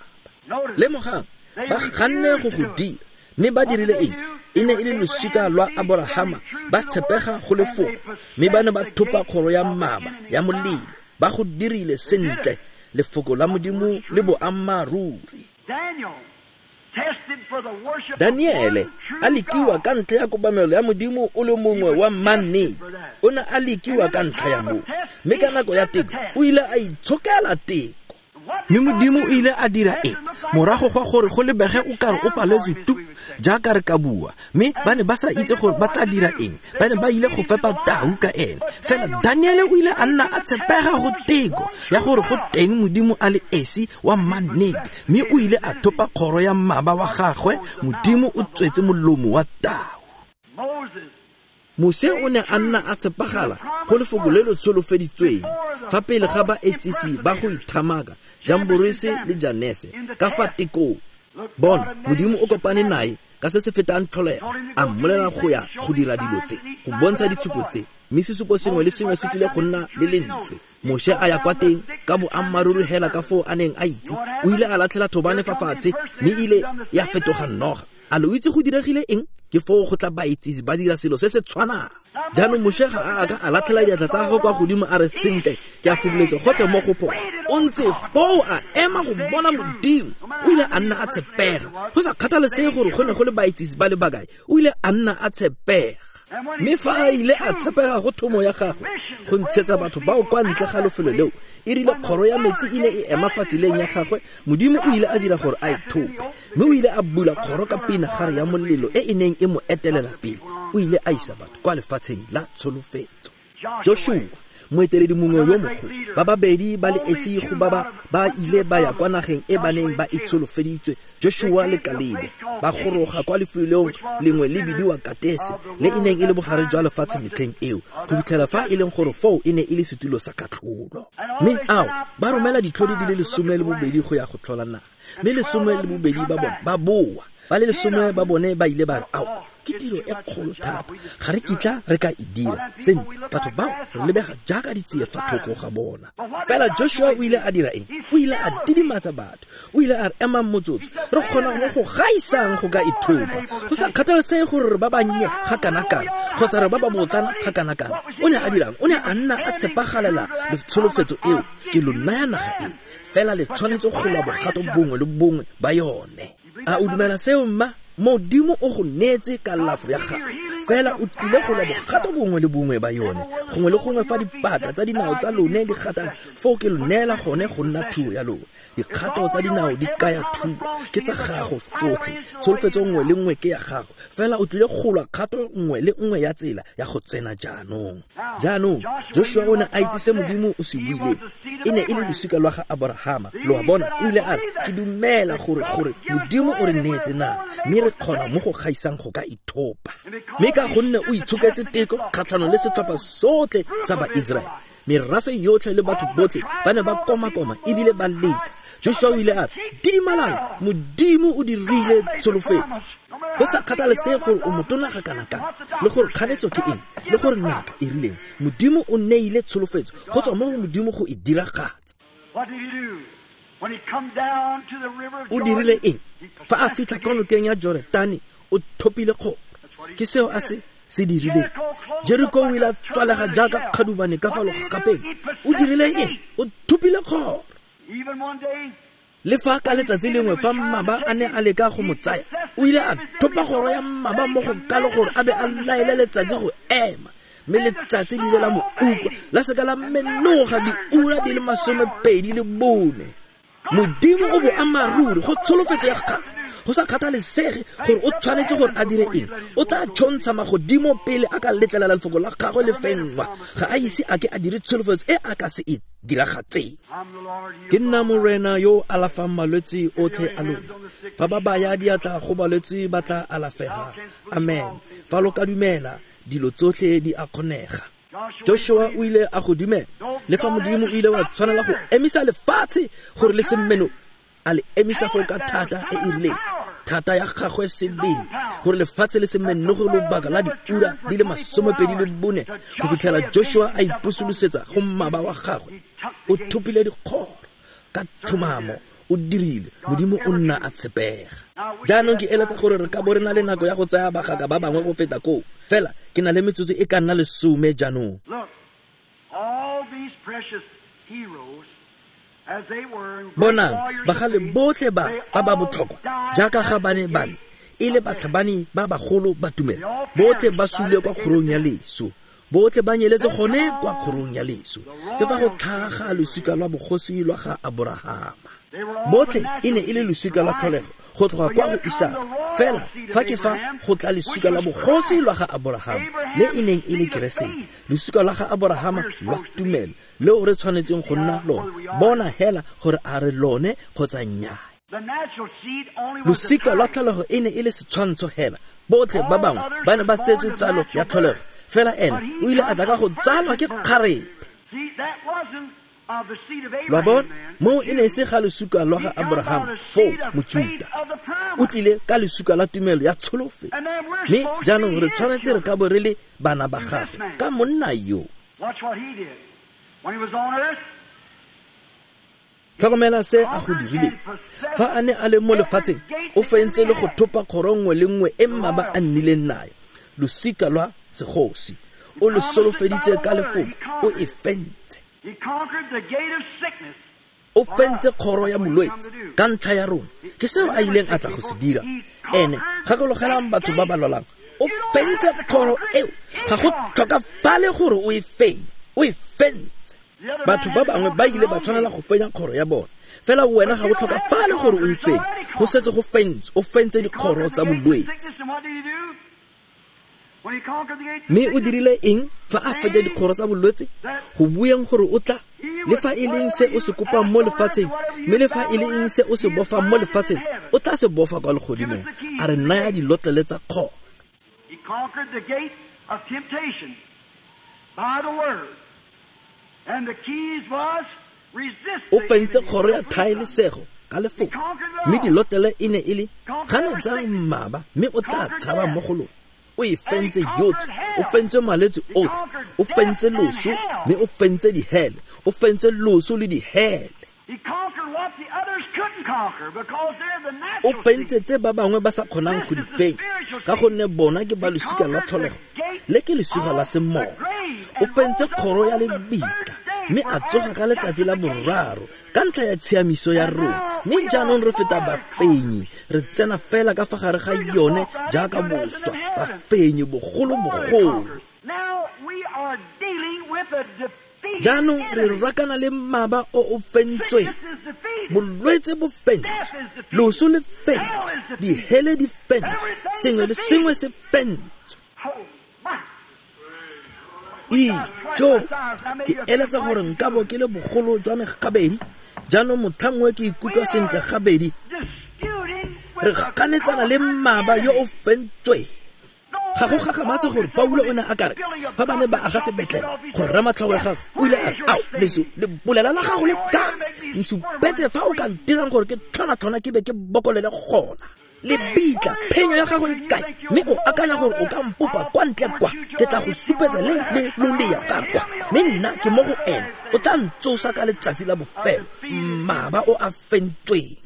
Lemogang, ba ganne go go dira, mme ba dirile eng? E ne e le losika lwa Aborahama, ba tshepega go lefoko, mme ba ne ba thopa kgoro ya mmaba ya molelo. Ba go dirile sentle, lefoko la Modimo le boammaaruri. Daniele a lekiwa ka ntlha ya kobamelo ya Modimo o le mongwe wa mannete. O ne a lekiwa ka ntlha ya moo, mme ka nako ya teko o ile a itshokela teko. Mme Modimo o ile a dira eng morago ga gore go lebege o kare o paletswe tu, jaaka re ka bua, mme ba ne ba sa itse gore ba tla dira eng. Ba ne ba ile go fepa tau ka ene. Fela Daniele o ile a nna a tshepega go teko ya gore go teng Modimo a le esi wa mannete, mme o ile a thopa kgoro ya mmaba wa gagwe. Modimo o tswetse molomo wa tau. Moshe o ne a nna a tshepagala go lefoko le le tsholofeditsweng fa pele ga baetsisi ba go ithamaka Jamborese le Janese ka fa tekong. Bona, Modimo o kopane nae ka se se fetang tlholego, a mmolela go ya go dira dilo tse, go bontsha ditshupo tse, mme sesupo sengwe le sengwe se tlile go nna le lentswe. Moshe a ya kwa teng ka boammaaruri hela ka foo a neng a itse. O ile a latlhela thobane fa fatshe mme ile ya fetoga noga. A lo itse go diregile eng? Ke foo go tla baetsisi ba dira selo se se tshwanang. Jaanong Moshe ga a ka a latlhela diatla tsa gagwe kwa godimo a re, sentle, ke a fubuletse gotlhe mo go phoso. O ntse foo a ema go bona Modimo. O ile a nna a tshepega. Go sa kgathalesege gore go ne go le baetsisi ba le bakae, o ile a nna a tshepega. Mme fa a ile a tshepega go thomo ya gagwe go ntshetsa batho bao kwa ntle ga lefelo leo, e rile kgoro ya metsi e ne e ema fa tseleng ya gagwe, Modimo o ile a dira gore a e thope, mme o ile a bula kgoro ka pinagare ya molelo e e neng e mo etelela pele. O ile a isa batho kwa lefatsheng la tsholofetso. Joshua, moeteledi mongwe yo mogolo, ba babedi ba le esi go ba ba ile ba ya kwa nageng e ba neng ba e tsholofeditswe, Joshua le Kalebe ba goroga kwa lefelong lengwe le bidiwa Katese, le e neng e le bogare jwa lefatshe metlheng eo, go fitlhela fa e leng gore foo e ne e le setulo sa katlholo. Mme ao ba romela ditlhodi di le 12 go ya go tlhola naga, mme 12 ba bone ba boa. Ba le 10 ba bone ba ile ba re, ao, ke tiro e kgolo thata, ga re kitla re ka e dira. Sentle, batho bao re lebega jaaka ditsie fa thoko ga bona. Fela Joshua o ile a dira eng? O ile a didimatsa batho. O ile a re, emang motsotso, re kgona mo go gaisang go ka ithopa, go sa kgathalesege gore re ba bannye ga kana-kana kgotsa re ba ba botlana ga kana-kana. O ne a dirang? O ne a nna a tshepagalela tsholofetso eo, ke lo naya naga e, fela le tshwanetse go lwa bogato bongwe le bongwe ba yone. A o dumela seo, mma? Modimo o go neetse kalafo ya gago, fela o tlile go lwa bogato bongwe le bongwe ba yone. Gongwe le gongwe fa dipata tsa dinao tsa lone di gatang, foo ke lo neela gone go nna thuo ya lone. Dikgato tsa dinao di kaya thuo, ke tsa gago tsotlhe. Tsholofetso nngwe le nngwe ke ya gago, fela o tlile go lwa kgato nngwe le nngwe ya tsela ya go tsena jaanong. Jaanong Joshua o ne a itse se Modimo o se buileng. E ne e le losika lwa ga Aborahama. Lo a bona, o ile a re, ke dumela gore Modimo o re neetse naga, mme re kgona mo go gaisang go ka ithopa. Mme ka gonne o itshoketse teko kgatlhanong le setlhopha sotlhe sa Baiseraele, merafe yotlhe le batho botlhe ba ne ba komakoma ebile ba leka. Joshua o ile a re, didimalang, Modimo o dirile tsholofetso. Go sa kgathalesege gore o motona ga kana-kana, le gore kganetso ke eng, le gore ngaka e rileng, Modimo o neile tsholofetso go tswa mo go Modimo go e diragatsa. O dirile eng? Fa a fitlha kwa nokeng ya Joretane, o thopile kgoro. Ke seo a se dirileng. Jeriko o ile a tswalega jaaka kgadubane ka fa logagapeng. O dirile eng? O thopile kgoro. Le fa ka letsatsi lengwe fa mmaba a ne a leka go mo tsaya, o ile a thopa kgoro ya mmaba mo go kalo gore a be a laele letsatsi go ema, mme letsatsi le ile la mo utlwa, la seka la menoga diura di le 24. Modimo o boammaaruri go tsholofetso ya gagwe, go sa kgathalesege gore o tshwanetse gore a dire eng, o tla tšhontsha magodimo pele a ka letlelela lefoko la gagwe le fenngwa. Ga a ise a ke a dire tsholofetso e a ka se e diragatseng. Ke nna Morena yo o alafang malwetse otlhe a lona. Fa ba baya diatla go balwetse ba tla alafega. Amen. Fa lo ka dumela, dilo tsotlhe di a kgonega. Joshua o ile a go dumela, le fa Modimo o ile wa tshwanela go emisa lefatshe gore le se mmeno, a le emisa foo ka thata e e rileng, thata ya gagwe sebele, gore lefatshe le se menoge lobaka la diura di le 24 go fitlhela Joshua a ipusolosetsa go mmaba wa gagwe. O thopile dikgoro ka tlhomamo, o dirile. Modimo o nna a tshepega. Jaanong ke eletsa gore re ka bo re na le nako ya go tsaya bagaka ba bangwe go feta koo, fela ke na le metsotso e ka nna 10 jaanong. Bonang, bagale botlhe ba ba ba botlhokwa jaaka ga ba ne ba le, e le batlhabani ba bagolo ba tumelo, botlhe ba sule kwa kgorong ya leso, botlhe ba nyeletse gone kwa kgorong ya leso. Ke fa go tlhaga losika lwa bogosi lwa ga Aborahama. Botlhe e ne e le losika lwa tlholego go tloga kwa go Isaka, fela fa ke fa go tla losika lwa bogosi lwa ga Aborahama, le e neng e le Keresete, losika lwa ga Aborahama lwa tumelo, leo re tshwanetseng go nna lone. Bona hela gore a re lone kgotsa nnyaa. Losika lwa tlholego e ne e le setshwantsho hela. Botlhe ba bangwe ba ne ba tsetswe tsalo ya tlholego, Fela ena o ile a tla ka go tsalwa ke kgarebe. Lwa bona, moo e ne e se ga lesuka lwa ga Abraham foo Mojuta. O tlile ka lesuka la tumelo ya tsholofetso. Mme jaanong re tshwanetse re ka bo re le bana ba gagwe ka monna yo. Tlhokomela se a go dirileng. Fa a ne a le mo lefatsheng, o fentse le go thopa kgoro nngwe le nngwe e mmaba a nnileng nayo. Losika lwa segosi. O le solofeditse ka lefoko, o e fentse. O fentse kgoro ya bolwetse ka ntlha ya rona. Ke seo a ileng a tla go se dira. Ene, gakologelang batho ba ba lwalang, o fentse kgoro eo. Ga go tlhokafale gore o e fenye, o e fentse. Batho ba bangwe ba ile ba tshwanela go fenya kgoro ya bona, fela wena ga go tlhokafale gore o e fenye. Go setse go fentse, o fentse dikgoro tsa bolwetse. Mme o dirile eng fa a fetsa dikgoro tsa bolwetse? Go bueng gore o tla, le fa e leng se o se kopang mo lefatsheng, mme le fa e le eng se o se bofang mo lefatsheng, o tla se bofa kwa legodimong. A re naya dilotlele tsa kgoro. He conquered the gate of temptation by the word. And the keys was resist. O fentse kgoro ya thaelesego ka lefoko, mme dilotlele e ne e le ganetsa mmaba, mme o tla tshaba mo go lona. O e fentse yotlhe, o fentse malwetse otlhe, o fentse loso, mme o fentse dihele, o fentse loso le dihele. O fentse tse ba bangwe ba sa kgonang go di fenya, ka gonne bona ke ba losika la tlholego, le ke losika la semoya. O fentse kgoro ya lebitla, mme a tsoga ka letsatsi la boraro ka ntlha ya tshiamiso ya rona. Mme jaanong re feta bafenyi, re tsena fela ka fa gare ga yone jaaka boswa, bafenyi bogolo-bogolo. Jaanong re rakana le mmaba o o fentsweng. Bolwetse bo fentswe, loso le fentswe, dihele di fentswe, sengwe le sengwe se fentswe. Ijo, ke eletsa gore nka bo ke le bogolo jwa me gabedi. Jaanong motlhangwe ke ikutlwa sentle gabedi. Re ganetsana le mmaba yo o fentsweng. Ga go gakgamatse gore Paulo o ne a kare fa ba ne ba aga sebetlele go rema tlhogo ya gagwe, o ile a re, ao, leso le bolela la gago le kae? Ntshupetse fa o ka ntirang gore ke tlhona-tlhona ke be ke bokolele gona. Lebitla, phenyo ya gago e kae? Mme o akanya gore o ka mpopa kwa ntle kwa, ke tla go supetsa le le lolea ka kwa. Mme nna ke mo go ene, o tla ntsosa ka letsatsi la bofelo, mmaba o a fentsweng.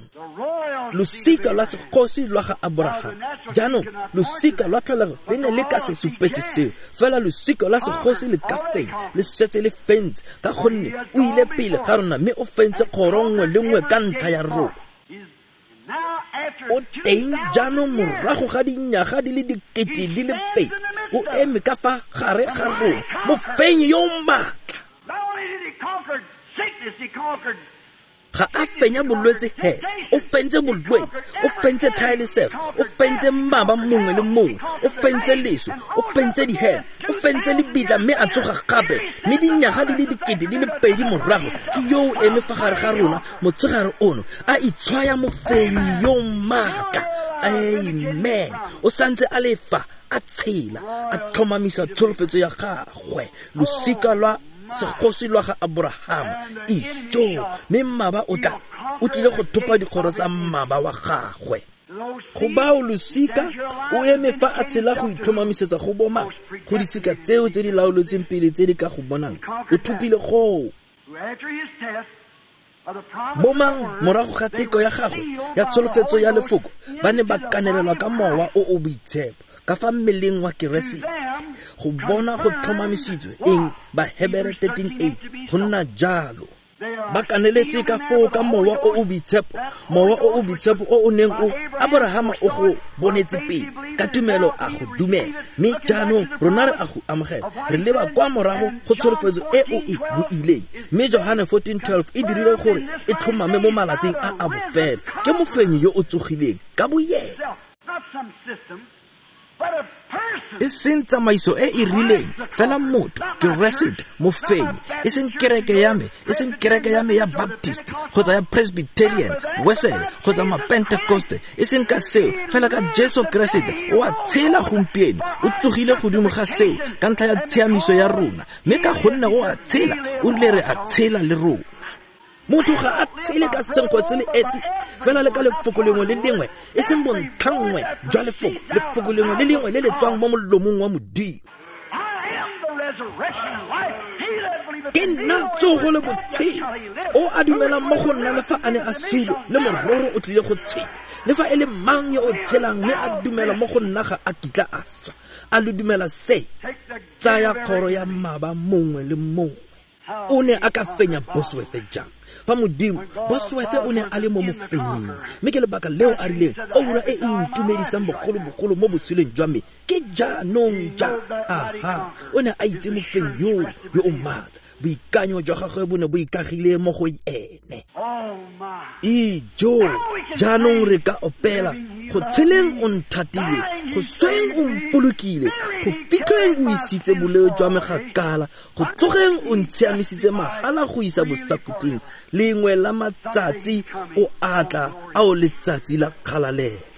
Losika lwa segosi lwa ga Abraham. Jaanong losika lwa tlholego le ne le ka se supetse seo, fela losika lwa segosi le ka fenya, le setse le fentse, ka gonne o ile pele ga rona mme o fentse kgoro nngwe le nngwe ka ntlha ya rona. O teng jaanong morago ga dinyaga di le 2000, o eme ka fa gare ga rona, mofenyi yo o maatla. Ga a fenya bolwetse he, o fentse bolwetse, o fentse thaelesego, o fentse mmaba mongwe le mongwe, o fentse leso, o fentse dihele, o fentse lebitla, mme a tsoga gape. Mme dinyaga di le 2000 morago, ke yo o eme fa gare ga rona motshegare ono, a itshwaya mofenyi yo maatla. Amen. O santse a le fa, a tshela, a tlhomamisa tsholofetso ya gagwe, losika lwa segosi lwa ga Abraham. Ijo, mme mmaba o tla, o tlile go thopa dikgoro tsa mmaba wa gagwe. Go bao losika, o eme fa a tshela go itlhomamisetsa go boma, go ditshika tseo tse di laoletsweng pele tse di ka go bonang. O thopile goo. Bomang morago ga teko ya gagwe ya tsholofetso ya lefoko, ba ne ba kanelelwa ka mowa o o boitshepo ka fa mmeleng wa Keresete, go bona go tlhomamisitswe eng? Bahebere 13:8, go nna jalo. Ba kaneletse ka foo ka mowa o o boitshepo, mowa o o boitshepo o o neng o Abrahama o go bonetse pele, ka tumelo a go dumela. Mme jaanong rona re a go amogela, re leba kwa morago go tsholofetso e o e buileng. Mme Johane 14:12 e dirile gore e tlhomame mo malatsing a a bofelo. Ke mofenyi yo o tsogileng ka boyena. E seng tsamaiso e e rileng fela, motho Keresete mofenyi, e seng kereke ya me, e seng kereke ya me ya Baptist kgotsa ya Presbyterian, Wesele kgotsa Mapentekoste, e seng ka seo fela, ka Jesu Keresete o a tshela gompieno, o tsogile godimo ga seo ka ntlha ya tshiamiso ya rona, mme ka gonne o a tshela, o rile re a tshela le rona. Motho ga a tshele ka senkgwe se le esi fela, le ka lefoko lengwe le lengwe, e seng bontlhanngwe jwa lefoko, lefoko lengwe le lengwe le le tswang mo molomong wa Modimo. Ke nna tsogo le botshelo, o a dumelang mo go nna, le fa a ne a sule, le mororo o tlile go tshela. Le fa e le mang yo o tshelang mme a dumela mo go nna ga a kitla a swa. A lo dumela se? Tsaya kgoro ya mmaba mongwe le mongwe. O ne a ka fenya Bosworth jang fa Modimo, Bosworth o ne a le mo mofenying? Mme ke lebaka leo a rileng, oura e e intumedisang bogolobogolo mo botshelong jwa me ke jaanong ja. Aha, o ne a itse mofenyi yoo yo o maatla, boikanyo jwa gagwe bo ne bo ikagile mo go ene. Ijo, jaanong re ka opela, go tsheleng o nthatile, go sweng o mpolokile, go fitlheng o isitse boleo jwa me gakala, go tsogeng o ntshiamisitse mahala go isa bosakhutleng. Lengwe la matsatsi o atla ao, letsatsi la kgalalelo.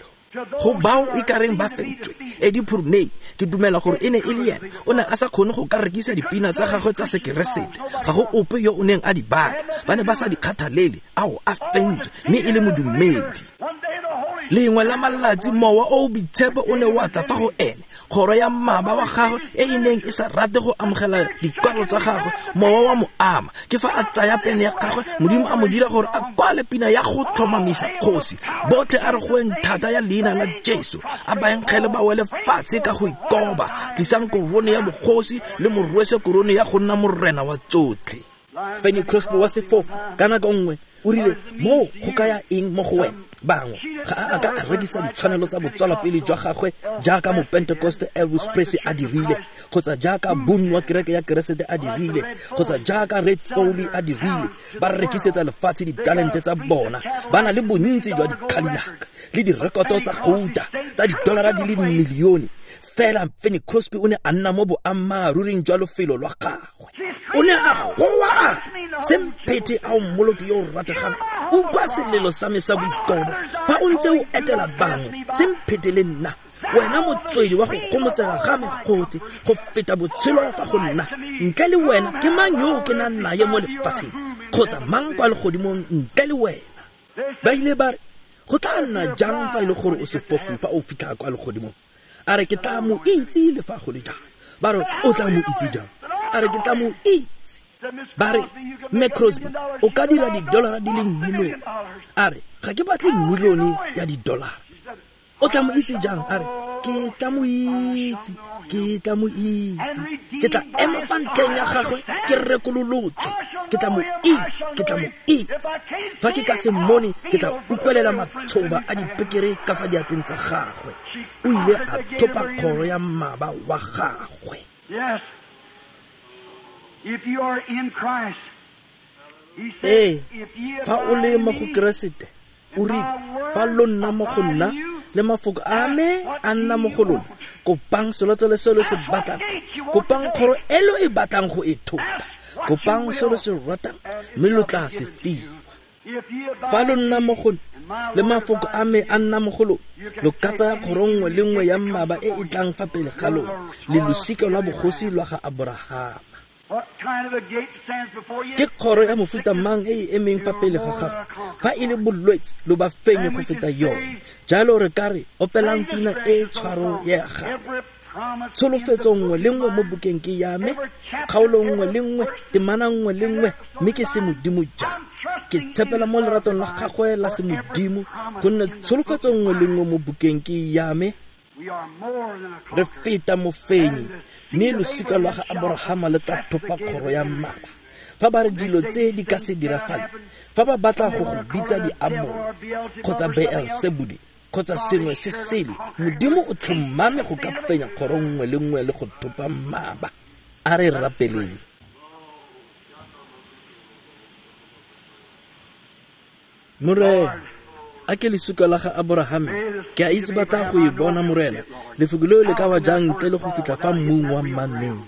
Go bao e kareng ba fentswe, Eddie Purney, ke dumela gore e ne e le ena, o ne a sa kgone go ka rekisa dipina tsa gagwe tsa Sekeresete. Ga go ope yo o neng a di batla, ba ne ba sa di kgathalele. Ao, a fentswe, mme e le modumedi. Lengwe la malatsi Mowa o o Boitshepo o ne wa tla fa go ene, kgoro ya mmaba wa gagwe e e neng e sa rate go amogela dikwalo tsa gagwe, mowa wa mo ama. Ke fa a tsaya pene ya gagwe, Modimo a mo dira gore a kwale pina ya go tlhomamisa kgosi. Botlhe a re goeng thata ya leina la Jesu, a baenkgele ba wele fatshe ka go ikoba. Tlisang korone ya bogosi le morwese korone ya go nna morena wa tsotlhe. Fanny Crosby wa sefofu ka nako nngwe o rile, moo go kaya eng mo go wena? Bangwe ga a a ka a rekisa ditshwanelo tsa botswalapele jwa gagwe jaaka Mopentekoste Elvis Presley a dirile, kgotsa jaaka Boone wa kereke ya Keresete a dirile, kgotsa jaaka Red Foley a dirile. Ba rekisetsa lefatshe ditalente tsa bona, ba na le bontsi jwa dikhalilaka le direkoto tsa gouta tsa didolara di le milione. Fela Fanny Crosby o ne a nna mo boammaaruring jwa lofelo lwa gagwe. O ne a goa a semphethe, a o Mmoloki yo o rategang, utlwa selelo sa me sa boikobo fa o ntse o etela bangwe, semphete le nna, wena motswedi wa go gomotsega ga me gote go feta botshelo fa go nna. Ntle le wena ke mang yo ke nang naye mo lefatsheng, kgotsa mang kwa legodimong ntle le wena? Ba ile ba re, go tla nna jang fa e le gore o sefofu fa o fitlha kwa legodimong? A re, ke tla mo itse le fa go le jalo. Ba re, o tla mo itse jang? A re, ke tla mo itse. Ba re, Mme Crosby, o ka dira didolara di le milione. A re, ga ke batle milione ya didolara. O tla mo itse jang? A re, ke tla mo itse, ke tla mo itse, ke tla ema fa ntlheng ya gagwe ke rekololotswe. Ke tla mo itse, ke tla mo itse. Fa ke ka se mmone, ke tla utlwelela matshoba a dipekere ka fa diatleng tsa gagwe. O ile a thopa kgoro ya mmaba wa gagwe. Yes. If you are in Christ, he said, Ee, if ye fa o le abide mo in go me, Keresete, o rile, fa lo nna mo go nna le mafoko a me a nna mo go lona, kopang selotlolo se lo se batlang, kopang kgoro e lo e batlang go e thopa, kopang se lo se ratang, mme lo tla se fiwa. If ye abide Fa lo nna mo go nna in my le word mafoko a me a nna mo go lona, lo ka tsaya kgoro nngwe le nngwe ya mmaba e e tlang fa pele ga lona, le losika lwa bogosi lwa ga Aborahama. What kind of a gate stands before you? Ke kgoro ya mofuta mang e e emeng fa pele ga gago? Fa e le bolwetse, lo ba fenye go feta yone. Jalo re ka re opelang pina e tshwaro ya gagwe. Every promise Tsholofetso nngwe le nngwe mo bukeng ke ya me, kgaolo nngwe le nngwe, temana nngwe le nngwe, mme ke se Modimo jang. Ke tshepela mo leratong la gagwe la semodimo, gonne tsholofetso nngwe le nngwe mo bukeng ke ya me. We are more than a Re conqueror. feta mofenyi, mme losika lwa ga Aborahama le tla thopa kgoro ya mmaba. Fa ba re dilo tse di ka se dirafale, fa ba batla go go bitsa diabolo kgotsa Beelzebule kgotsa sengwe se sele, Modimo o tlhomame go ka fenya kgoro nngwe le nngwe le go thopa mmaba. A re rapeleng. Morena, A ke lesuka la ga Aborahame, ke a itse ba tla go e bona, Morena. Lefoko leo le ka wa jang ntle le go fitlha fa mmung wa mmannete?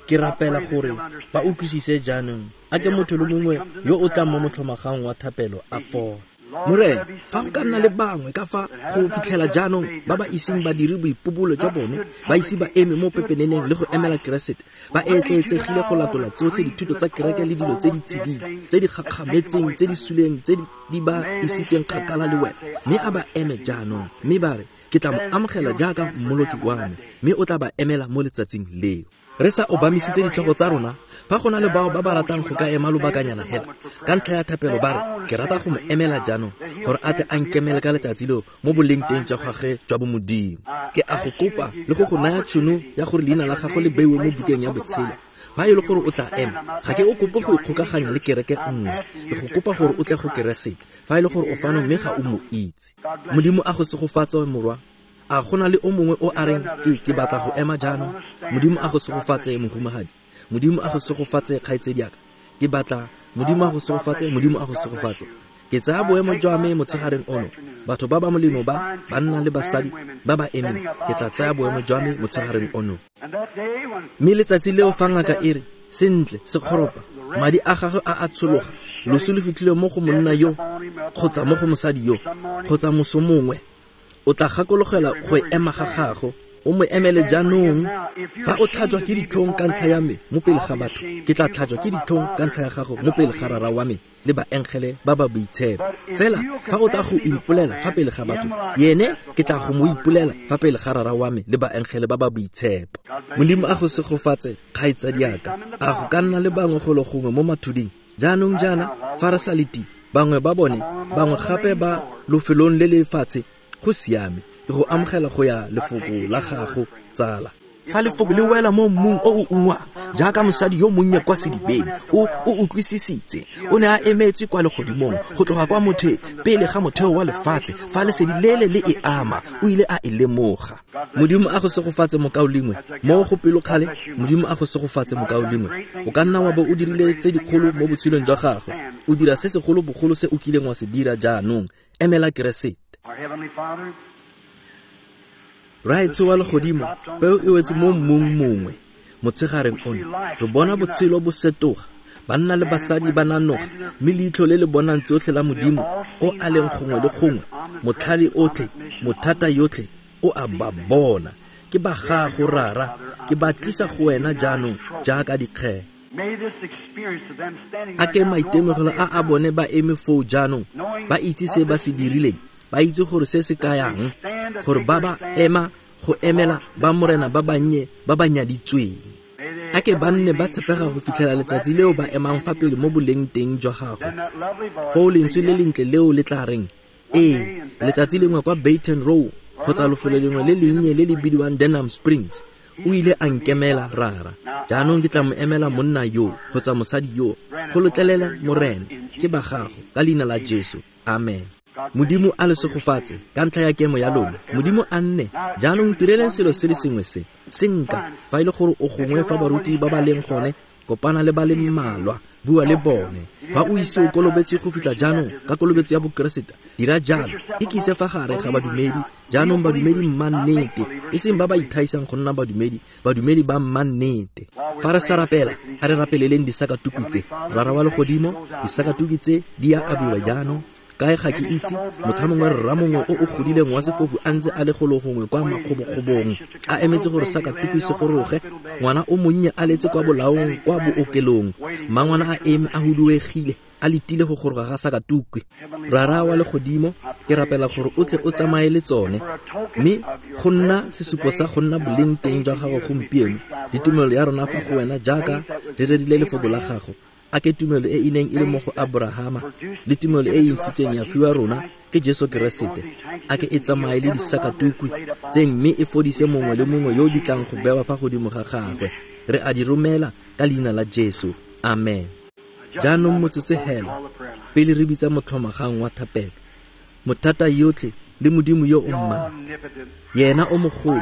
Ke rapela gore ba utlwisise jaanong. A ke motho le mongwe yo o tlang mo motlhomagang wa thapelo a fole. Morena, fa go ka nna le bangwe ka fa go fitlhela jaanong ba ba iseng ba dire boipobolo jwa bone, ba ise ba eme mo pepeneneng le go emela Keresete, ba etleetsegile go latola tsotlhe dithuto tsa kereke le dilo tse di tsididi, tse di gakgametseng, tse di suleng, tse di ba isitseng kgakala le wena, mme a ba eme jaanong, mme ba re, ke tla mo amogela jaaka mmoloki wa me, mme o tla ba emela mo letsatsing leo. Re sa obamisitse ditlhogo tsa rona, fa go na le bao ba ba ratang go ka ema lobakanyana hela ka ntlha ya thapelo, ba re, ke rata go mo emela jaanong gore a tle a nkemele ka letsatsi leo mo boleng teng jwa gagwe jwa bomodimo. Ke a go kopa le go go naya tšhono ya gore leina la gago le beiwe mo bukeng ya botshelo. Fa e le gore o tla ema, ga ke o kope go ikgokaganya le kereke nngwe, ke go kopa gore o tle go Keresete. Fa e le gore o fano mme ga o mo itse, Modimo a go segofatse, morwa. A gona le o mongwe o a reng, ke batla go ema jaanong? Modimo a go segofatse, mohumagadi. Modimo a go segofatse, kgaitsediaka. Ke batla, Modimo a go segofatse, Modimo a go segofatse. Ke tsaya boemo jwa me motshegareng ono. Batho ba ba molemo ba, banna le basadi ba ba emeng, ke tla tsaya boemo jwa me motshegareng ono. Mme letsatsi leo fa ngaka e re, sentle, sekgoropa, madi a gagwe a a tshologa, loso le fitlhile mo go monna yo, kgotsa mo go mosadi yo, kgotsa moso mongwe, o tla gakologela go ema ga gago, o mo emele jaanong. Fa o tlhajwa ke ditlhong ka ntlha ya me mo pele ga batho, ke tla tlhajwa ke ditlhong ka ntlha ya gago mo pele ga Rara wa me le baengele ba ba boitshepo. Fela fa o tla go impolela fa pele ga batho, yene ke tla go mo ipolela fa pele ga Rara wa me le baengele ba ba boitshepo. Modimo a go segofatse, kgaitsadiaka. A go ka nna le bangwe golo gongwe mo mathuding jaanong jaana fa re sa letile? Bangwe ba bone, bangwe gape ba lofelong le le fatshe. Go siame, ke go amogela go ya lefoko la gago, tsala. Fa lefoko le wela mo mmung o o ungwang, jaaka mosadi yo monnye kwa sedibeng, o utlwisisitse. O ne a emetswe kwa legodimong go tloga kwa mothe pele ga motheo wa lefatshe. Fa lesedi lele le e ama, o ile a e lemoga. Modimo a go segofatse, mokaulengwe. Mo go pelokgale, Modimo a go segofatse, mokaulengwe. O ka nna wa bo o dirile tse dikgolo mo botshelong jwa gago. O dira se segolo bogolo se o kileng wa se dira jaanong. Emela Keresete. Rraetsho wa legodimo, peo e wetse mo mmung mongwe motshegareng ono. Re bona botshelo bo setoga, banna le basadi ba nanoga, mme leitlho le le bonang tsotlhe la Modimo o a leng gongwe le gongwe, motlhale otlhe, mothata yotlhe, o a ba bona. Ke ba gago, Rara, ke ba tlisa go wena jaanong jaaka dikgele. A ke maitemogelo a a bone ba eme foo jaanong, ba itse se ba se dirileng, ba itse gore se se kayang, gore ba ba ema go emela ba Morena ba bannye ba ba nyaditsweng. A ke ba nne ba tshepega go fitlhela letsatsi leo ba emang fa pele mo boleng teng jwa gago. Foo lentswe le lentle leo le tla reng, ee, letsatsi lengwe kwa Baton Row kgotsa lofelo lengwe le lennye le le bidiwang Denham Springs, o ile a nkemela, Rara. Jaanong ke tla mo emela monna yo kgotsa mosadi yo. Go lotlelela, Morena, ke ba gago, ka leina la Jesu. Amen. Modimo a le segofatse ka ntlha ya kemo ya lona. Modimo a nne. Jaanong tireleng selo se le sengwe se. Senka, fa e le gore o gongwe fa baruti ba ba leng gone, kopana le ba le mmalwa, bua le bone. Fa o ise o kolobetse go fitlha jaanong ka kolobetso ya Bokeresete, dira jalo. Ikise fa gare ga badumedi, jaanong badumedi mmannete, e seng ba ba ithaisang go nna badumedi, badumedi ba mmannete. Fa re sa rapela, a re rapeleleng disakatuku tse. Rara wa legodimo, disakatuku tse di a abiwa jaanong. Kae ga ke itse, motlha mongwe rra mongwe o o godileng wa sefofu a ntse a le golo gongwe kwa makgobokgobong, a emetse gore sakatuku se goroge. Ngwana o monnye a letse kwa bolaong kwa bookelong, mmangwana a eme a huduegile, a letile go goroga ga sakatukwe. Rara wa legodimo, ke rapela gore o tle o tsamaye le tsone, mme go nna sesupo sa go nna boleng teng jwa gago gompieno, le tumelo ya rona fa go wena jaaka re rerile lefoko la gago. A ke tumelo e e neng e le mo go Aborahama, le tumelo e e ntshitsweng ya fiwa rona ke Jesu Keresete, a ke e tsamaye le disakatukwi tse mme e fodise mongwe le mongwe yo di tlang go bewa fa godimo ga gagwe. Re a di romela ka leina la Jesu. Amen. Jaanong motsotso hela pele re bitsa motlhomagang wa thapelo, mothata yotlhe le Modimo yo o mmaatla, yena o mogolo,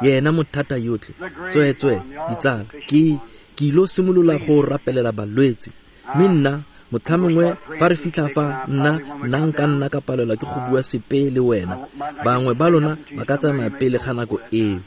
yena mothata yotlhe. Tsweetswe ditsala, ke ilo simolola go rapelela balwetse, mme nna Motlhamongwe fa re fitlha fa nna nka nna ka palelwa ke go bua sepe le wena. Bangwe ba lona ba ka tsamaya pele ga nako eo.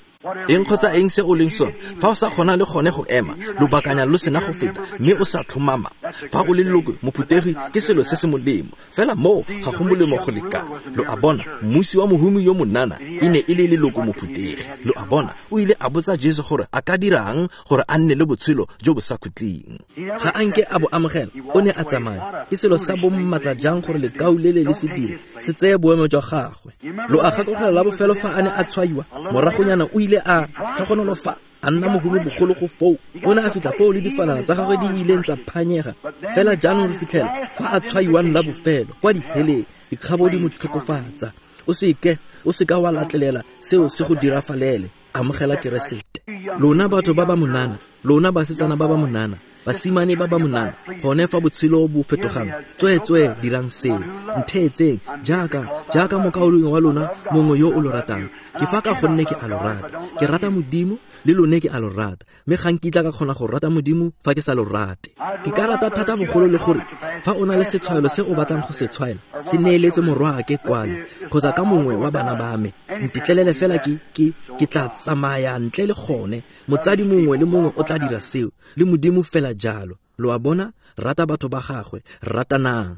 Eng kgotsa eng se o leng sone, fa o sa kgona le gone go ema lobakanya lo sena go feta mme o sa tlhomama, fa o le leloko mophuthegi ke selo se se molemo, fela moo ga go molemo go lekana. Lo a bona, mmusi wa mohumi yo monana e ne e le leloko mophuthegi. Lo a bona, o ile a botsa Jesu gore a ka dirang gore a nne le botshelo jo bo sa khutleng. Ga a nke a bo amogela, o ne a tsamaya. Ke selo sa bommatla jang gore lekau le le se dire, se tseye boemo jwa gagwe. Lo a gakologelwa la bofelo fa a ne a tshwaiwa, moragonyana o ile a tlhogonolofa, a nna mohumi bogolo go foo. O ne a fitlha foo le difanana tsa gagwe di ileng tsa phanyega. Fela jaanong re fitlhela fa a tshwaiwang la bofelo kwa diheleng, dikgabo di mo tlhokofatsa. O seka wa latlelela seo se go dirafalele. Amogela Keresete. Lona batho ba ba monana, lona basetsana ba ba monana, basimane ba ba monana, gone fa botshelo bo fetogang, tsweetswee dirang seo. Ntheetseng jaaka mokaulengwe wa lona mongwe yo o lo ratang. Ke fa ka gonne ke a lo rata. Ke rata Modimo, le lone ke a lo rata. Mme ga nkitla ka kgona go rata Modimo fa ke sa lo rate. Ke ka rata thata bogolo le gore fa o na le setshwaelo se o batlang go se tshwaela, se neeletse morwaake kwano kgotsa ka mongwe wa bana ba me. Ntetlelele fela ke tla tsamaya ntle le gone. Motsadi mongwe le mongwe o tla dira seo, le Modimo fela jalo. Lo a bona, rata batho ba gagwe, ratanang.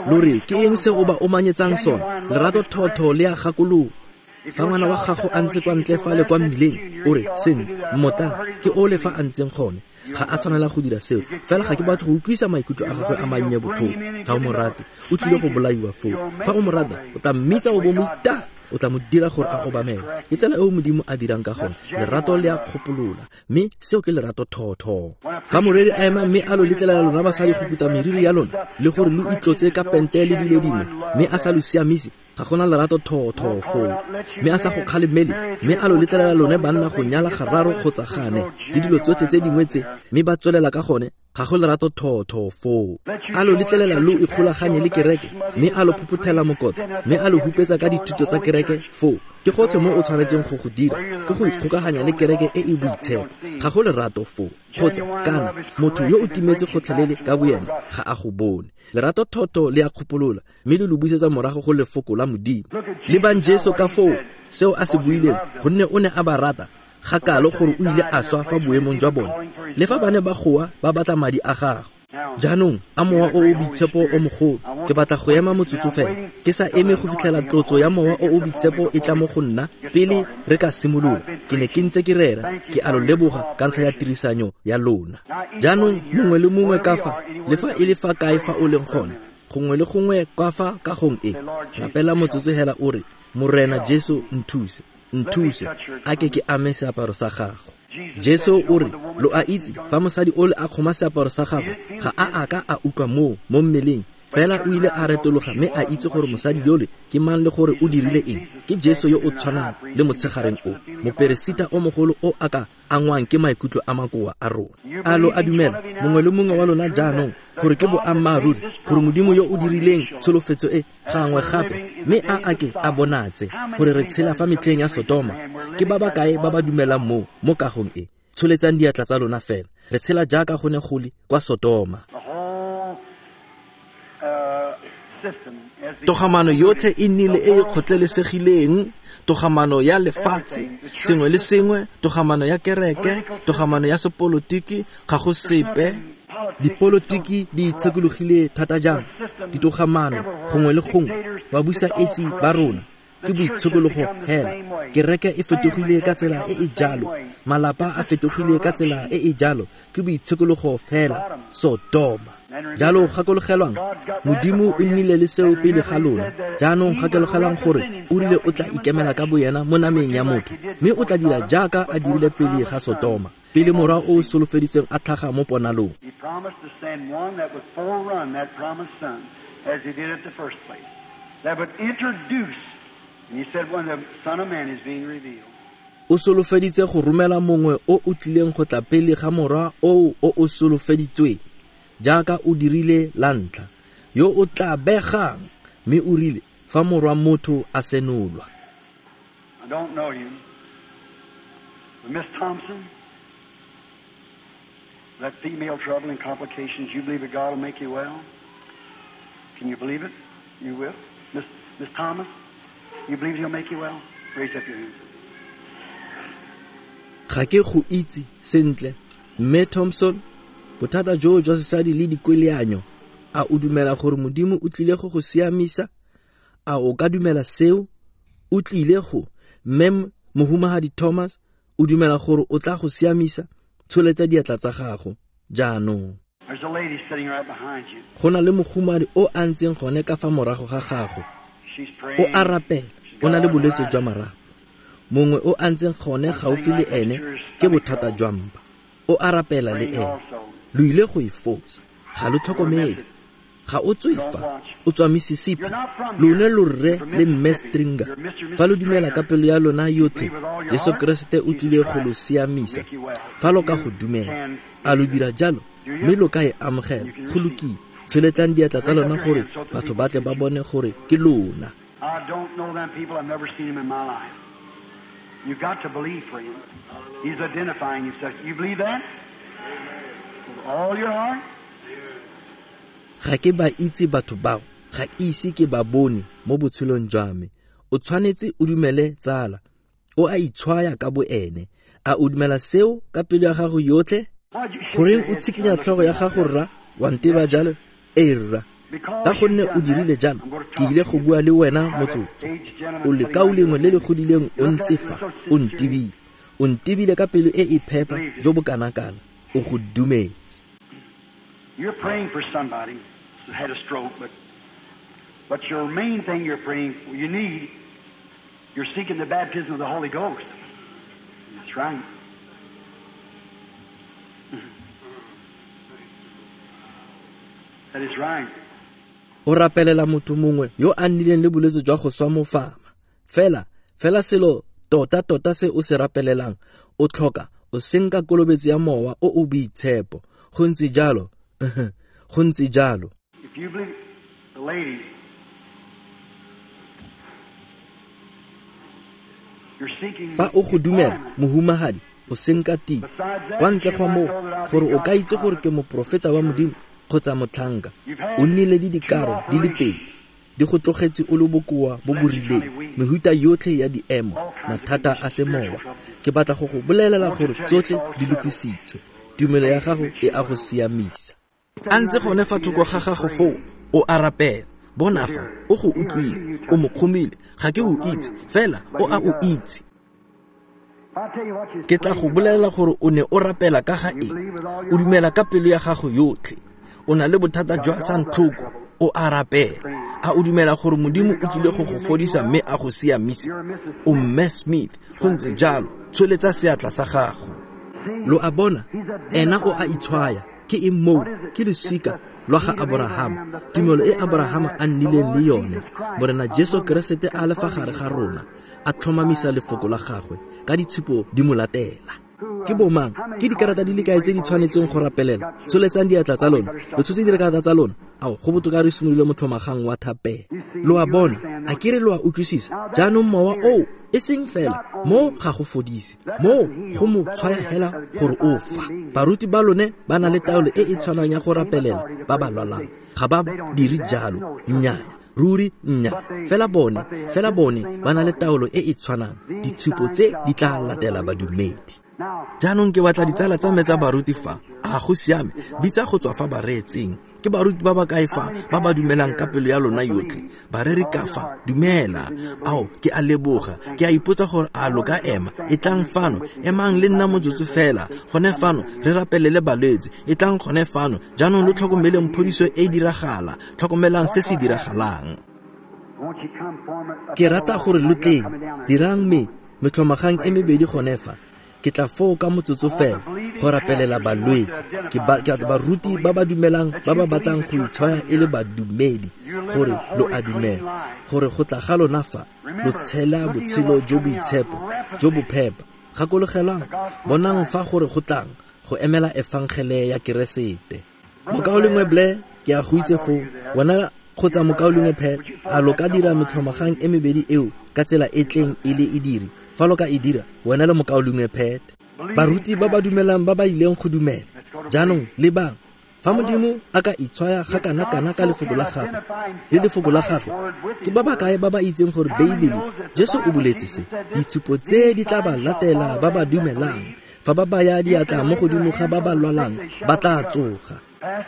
Lo re, ke eng se o ba omanyetsang sone? Lerato thotho le a gakolola. Fa ngwana wa gago a ntse kwa ntle fa le kwa mmileng, o re, sentle, mmotana, ke ole fa a ntseng gone. Ga a tshwanela go dira seo, fela ga ke batho go utlwisa maikutlo a gagwe a mannye botlhoko. Ga o mo rate, o tlile go bolaiwa foo. Fa o mo rata, o tla mmitsa o bo mo itaya, o tla mo dira gore a obamele. Ke tsela eo Modimo a dirang ka gone. Lerato le a kgopolola, mme seo ke lerato thotho. Fa moreri a ema mme a lo letlelela lona basadi go kuta meriri ya lona le gore lo itlotse ka pente le dilo dingwe, mme a sa lo siamise, ga gona lerato thotho foo. Mme a sa go kgalemele, mme a lo letlelela lone banna go nyala gararo kgotsa gane le dilo tsotlhe tse dingwe tse, mme ba tswelela ka gone, ga go lerato thotho foo. A lo letlelela lo ikgolaganye le kereke, mme a lo phophothela mokotla, mme a lo hupetsa ka dithuto tsa kereke foo. Ke gotlhe mo o tshwanetseng go go dira, ke go ikgokaganya le kereke e e boitshepo. Ga go lerato foo. Kgotsa kana motho yo o timetse gotlhelele ka boyena ga a go bone. Lerato thotho le a kgopolola, mme le lo busetsa morago go lefoko la Modimo. Lebang Jesu ka foo, seo a se buileng, gonne o ne a ba rata ga kalo gore o ile a swa fa boemong jwa bone, le fa ba ne ba goa ba batla madi a gagwe. Jaanong a mowa o o boitshepo o mogolo, ke batla go ema motsotso fela, ke sa eme go fitlhela tlotso ya mowa o o boitshepo e tla mo go nna pele re ka simolola. Ke ne ke ntse ke rera, ke a lo leboga ka ntlha ya tirisanyo ya lona. Jaanong mongwe le mongwe ka fa, le fa e le fa kae fa o leng gone, gongwe le gongwe kwa fa kagong e, rapela motsotso hela o re, Morena Jesu nthuse, nthuse, a ke ke ame seaparo sa gago. Jesu o re, lo a itse, fa mosadi ole a kgoma seaparo sa gagwe, ga a ka a utlwa moo mo mmeleng. Fela o ile a retologa mme a itse gore mosadi yole ke mang le gore o dirile eng. Ke Jesu yo o tshwanang le motshegareng o, moperesita o mogolo o a ka angwang ke maikutlo a makoa a rona. A lo a dumela, mongwe le mongwe wa lona jaanong, gore ke boammaaruri gore Modimo yo o dirileng tsholofetso e gangwe gape, mme a ake a bonatse gore re tshela fa metlheng ya Sodoma. Ke ba ba kae ba ba dumelang moo mo kagong e? Tsholetsang diatla tsa lona fela. Re tshela jaaka go ne go le kwa Sodoma. Togamano yotlhe e nnile e e kgotlelesegileng, togamano ya lefatshe, sengwe le sengwe, togamano ya kereke, togamano ya sepolotiki, ga go sepe. Dipolotiki di itshekologile thata jang, ditogamano gongwe le gongwe, babusa esi ba rona ke boitshekologo hela. Kereke e fetogile ka tsela e e jalo, malapa a fetogile ka tsela e e jalo, ke boitshekologo fela, Sodoma. Jalo gakologelwang, Modimo o nnile le seo pele ga lona. Jaanong gakologelwang gore o rile o tla ikemela ka boyena mo nameng ya motho, mme o tla dira jaaka a dirile pele ga Sodoma, pele morwa o o solofeditsweng a tlhaga mo ponalong. He promised to send one that would forerun that promised son, as he did at the first place, that would introduce, and he said when the Son of Man is being revealed. O solofeditse go romela mongwe o o tlileng go tla pele ga morwa o o o solofeditsweng, jaaka o dirile la ntlha, yo o tla begang, mme o rile fa morwa motho a senolwa. I don't know you, but Miss Thompson, that female trouble and complications, you believe that God will make you well? Can you believe it? You will. Miss Thomas, you believe he'll make you well? Raise up your hands. Ga ke go itse sentle, Mme Thompson, bothata joo jwa sesadi le dikweleanyo, a o dumela gore Modimo o tlile go go siamisa? A o ka dumela seo? O tlile go, Mme Mohumagadi Thomas, o dumela gore o tla go siamisa? Tsholetsa diatla tsa gago jaanong. There's a lady sitting right behind you. Go na le mogumadi o a ntseng gone ka fa morago ga gago. She's O praying. a rapela, o na le bolwetse jwa marapo. Mongwe o a ntseng gone gaufi le ene ke bothata jwa mpa. O a rapela le Praying ene. also. Lo ile go e fosa. Ga lo tlhokomele. Ga o tswe fa, o tswa Mississippi. Lone lo rre le Mme Stringer. Fa lo dumela ka pelo ya lona yotlhe, Jesu Keresete o tlile go lo siamisa. Fa lo ka go dumela, a lo dira jalo, mme lo ka e amogela. Go lokile. Tsholetlang diatla tsa lona gore batho ba tle ba bone gore ke lona. I don't know them people. I've never seen them in my life. You've got to believe for him. He's identifying himself. You believe that? With all your heart? Ga ke ba itse batho bao, ga ke ise ke ba bone mo botshelong jwa me. O tshwanetse o dumele tsala. O a itshwaya ka bo ene. A o dumela seo ka pelo ya gago yotlhe? Why'd you shake Goreng your o head? tshikinya tlhogo ya gago rra? Wa nteba jalo? Ee rra. Because Ka gonne you've o done dirile that, jalo, I'm gonna ke talk ile to go you. bua le wena Now that motsotso. aged gentleman O sitting lekau right lengwe le there. le godileng o You look ntse at me fa, so o sincere. ntebile. O ntebile ka pelo e e phepa jo bo kana-kana. O go dumetse. You're praying for somebody who had a stroke, but your main thing you're praying, you need, you're seeking the baptism of the Holy Ghost. That's right. That is right. O rapelela motho mongwe yo a nnileng le bolwetse jwa go swa mofama. Fela, fela selo tota-tota se o se rapelelang, o tlhoka o senka kolobetso ya mowa o o boitshepo. Go ntse jalo. Go ntse jalo. If you believe, the lady, you're seeking Fa o go dumela, employment. mohumagadi, o senka tiro. Kwa ntle ga moo, gore o ka itse gore ke moprofeta wa Modimo kgotsa motlhanka, o nnile le dikaro di le pedi, di go tlogetse o le bokoa bo bo rileng, mehuta yotlhe ya diemo, mathata a semowa. Ke batla go go bolelela gore tsotlhe di lokisitswe. Tumelo ya gago e a go siamisa. A ntse gone fa thoko ga gago foo, o a rapela. Bona fa, o go utlwile, o mo kgomile, ga ke o itse, fela o a o itse. If I tell you what you're Ke tla go praying about, bolelela gore o ne o rapela ka ga eng. O dumela ka pelo ya gago yotlhe. O na le bothata jwa santlhoko, o a rapela. A o dumela gore Modimo o tlile go go fodisa mme a go siamise? O Mme Smith, go ntse jalo, tsholetsa seatla sa gago. Lo a bona, ena o a itshwaya. Ke eng moo? Ke losika lwa ga Aborahama, tumelo e Aborahama a nnileng le yone. Morena Jesu Keresete a le fa gare ga rona, a tlhomamisa lefoko la gagwe ka ditshupo di mo latela. Ke bomang? Ke dikarata di le kae tse di tshwanetseng go rapelela? Tsholetsang diatla tsa lona. Lo tshotse dikarata tsa lona? Ao, go botoka re simolole motlhomagang wa thapelo. Lo a bona, a ke re lo a utlwisisa? Jaanong mowa oo e seng fela mo ga go fodise, mo go mo tshwaya hela gore o fa. Baruti ba lone ba na le taolo e e tshwanang ya go rapelela ba ba lwalang. Ga ba dire jalo, nnyaa, ruri nnyaa. Fela bone ba na le taolo e e tshwanang. Ditshupo tse di tla latela badumedi. Jaanong ke batla ditsala tsa me tsa baruti fa. A go siame, bitsa go tswa fa bareetseng. Ke baruti ba ba kae fa ba ba dumelang ka pelo ya lona yotlhe? Bareri ka fa, dumela. Ao, ke a leboga. Ke a ipotsa gore a lo ka ema. E tlang fano, emang le nna motsotso fela. Gone fano, re rapelele balwetse. E tlang gone fano. Jaanong lo tlhokomeleng phodiso e diragala. Tlhokomelang se se diragalang. Won't you come form a- Ke rata gore lo tleng, dirang me metlhomagang e mebedi gone fa. Ke tla foo ka motsotso fela go rapelela balwetse. Ke baruti ba ba dumelang, ba ba batlang go itshwaya e le badumedi, gore lo a dumela, gore go tla ga lona fa, lo tshela botshelo jo boitshepo, jo bo phepa. Gakologelwang, bonang fa gore go tlang, go emela efangele ya Keresete. Mokaulengwe Blair, ke a go itse foo, wena kgotsa mokaulengwe Pat, a lo ka dira metlhomagang e mebedi eo ka tsela e tleng e le e dire? Fa lo ka e dira, wena le mokaulengwe Pat. Baruti ba ba dumelang ba ba ileng go dumela. Jaanong lebang, Fa Modimo a ka itshwaya ga kana-kana ka lefoko la gagwe le lefoko la gagwe, ke ba ba kae ba ba itseng gore Beibele, Jesu o boletse se, ditshupo tse di tla ba latela ba ba dumelang, fa ba baya diatla mo godimo ga ba ba lwalang, ba tla tsoga.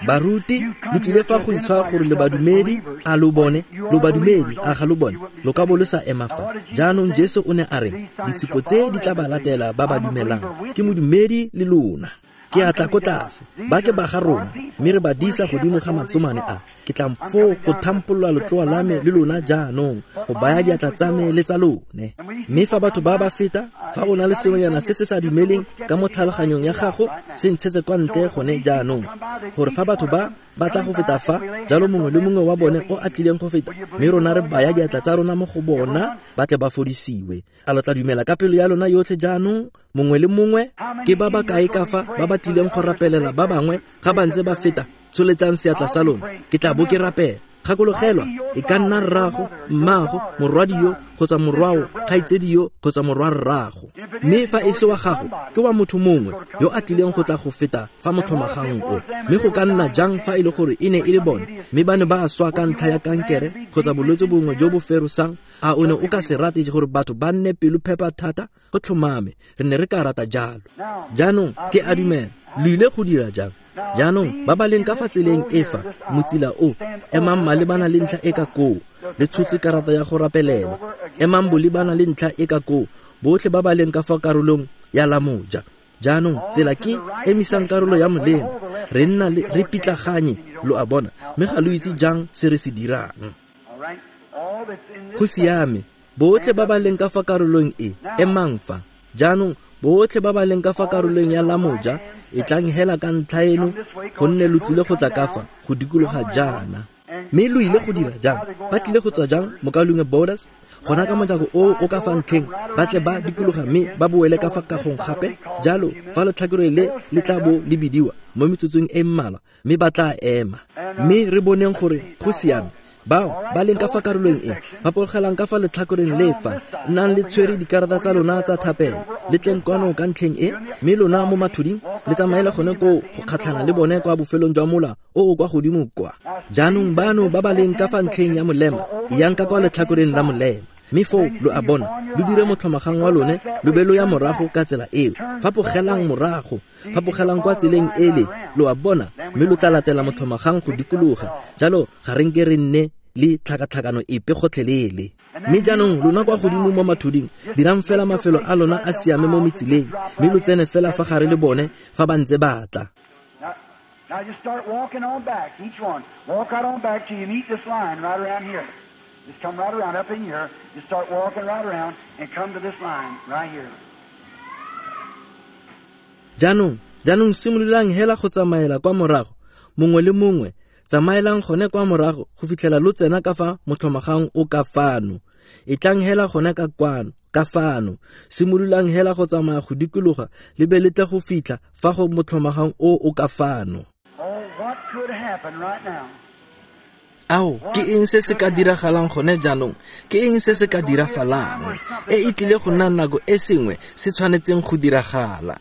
Baruti, lo tlile fa go itshwaya gore le badumedi, a lo bone, lo badumedi, a ga lo bone, lo ka bo lo sa ema fa. Jaanong Jesu o ne a re, ditshupo tse di tla ba latela ba ba dumelang, ke modumedi le lona. Ke a tla ko tlase, ba ke ba ga rona, mme re ba disa godimo ga matsomane a. Ke tla foo go thampolola letloa la me le lona jaanong, go baya diatla tsa me le tsa lone. Mme fa batho ba ba feta, fa o na le sengwenyana se se sa dumeleng ka mo tlhaloganyong ya gago, se ntshetse kwa ntle gone jaanong, gore fa batho ba ba tla go feta fa, jalo mongwe le mongwe wa bone o a tlileng go feta, mme rona re baya diatla tsa rona mo go bona, ba tle ba fodisiwe. A lo tla dumela ka pelo ya lona yotlhe jaanong, mongwe le mongwe? Ke ba ba kae ka fa ba ba tlileng go rapelela ba bangwe ga ba ntse ba feta? Tsholetsang seatla sa lona, ke tla bo ke rapela. Gakologelwa, e ka nna rrago, mmago, morwadi yo kgotsa morwao, kgaitsedi yo kgotsa morwa rrago. Mme fa e se wa gago, ke wa motho mongwe yo a tlileng go tla go feta fa motlhomagang o. Mme go ka nna jang fa e le gore e ne e le bone, mme ba ne ba swa ka ntlha ya kankere kgotsa bolwetse bongwe jo bo ferosang? A o ne o ka se rate gore batho ba nne pelo phepa thata? Go tlhomame, re ne re ka rata jalo. Jaanong ke a dumela, lo ile go dira jang? Jaanong ba ba leng ka fa tseleng e fa motsila o, emang malebana le ntlha e ka koo, le tshotse karata ya go rapelelwa. Emang bolebana le ntlha e ka koo, botlhe ba ba leng ka fa karolong ya la moja. Jaanong tsela ke emisang karolo ya molemo, re nna re pitlaganye, lo a bona, mme ga lo itse jang se re se dirang. Go siame, botlhe ba ba leng ka fa karolong e, emang fa. Jaanong botlhe ba ba leng ka fa karolong ya la moja, e tlang hela ka ntlha eno, gonne lo tlile go tla ka fa go dikologa jaana. Mme lo ile go dira jang? Ba tlile go tswa jang, mokaulengwe Borders? Gona ka mojako o o ka fa ntlheng, ba tle ba dikologa mme ba boele ka fa kagong gape. Jalo fa letlhakore le le tla bo le bidiwa mo metsotsong e mmalwa, mme ba tla ema. Mme re boneng gore go siame. Bao ba leng ka fa karolong e, ba pologelang ka fa letlhakoreng le fa, nnang le tshwere dikarata tsa lona tsa thapelo, le tleng kwano ka ntlheng e, mme lona mo mathuding le tsamaela gone koo go kgatlhana le bone kwa bofelong jwa mola o o kwa godimo kwa. Jaanong bano ba ba leng ka fa ntlheng ya molema, yang ka kwa letlhakoreng la molema. Mme foo lo a bona, lo dire motlhomagang wa lone, lo be lo ya morago ka tsela eo. Fapogelang morago, fapogelang kwa tseleng ele, lo a bona, mme lo tla latela motlhomagang go dikologa. Jalo ga re nke re nne le tlhakatlhakano epe gotlhelele. Mme jaanong lona kwa godimo mo mathuding, dirang fela mafelo a lona a siame mo metsileng, mme lo tsene fela fa gare le bone fa ba ntse ba tla. Now just start walking on back, each one. Walk right on back till you meet this line right around here. Just come right around up in here. Just start walking right around and come to this line right here. Jaanong simololang hela go tsamaela kwa morago, mongwe le mongwe, tsamaelang gone kwa morago go fitlhela lo tsena ka fa motlhomagang o ka fano. E tlang hela gone ka kwano, ka fano. Simololang hela go tsamaya go dikologa le be le tle go fitlha fa go motlhomagang o o ka fano. Oh, what could happen right now? Ao, ke eng se se ka diragalang gone jaanong? Ke eng se se ka dirafalang? E e tlile go nna nako e sengwe se tshwanetseng go diragala.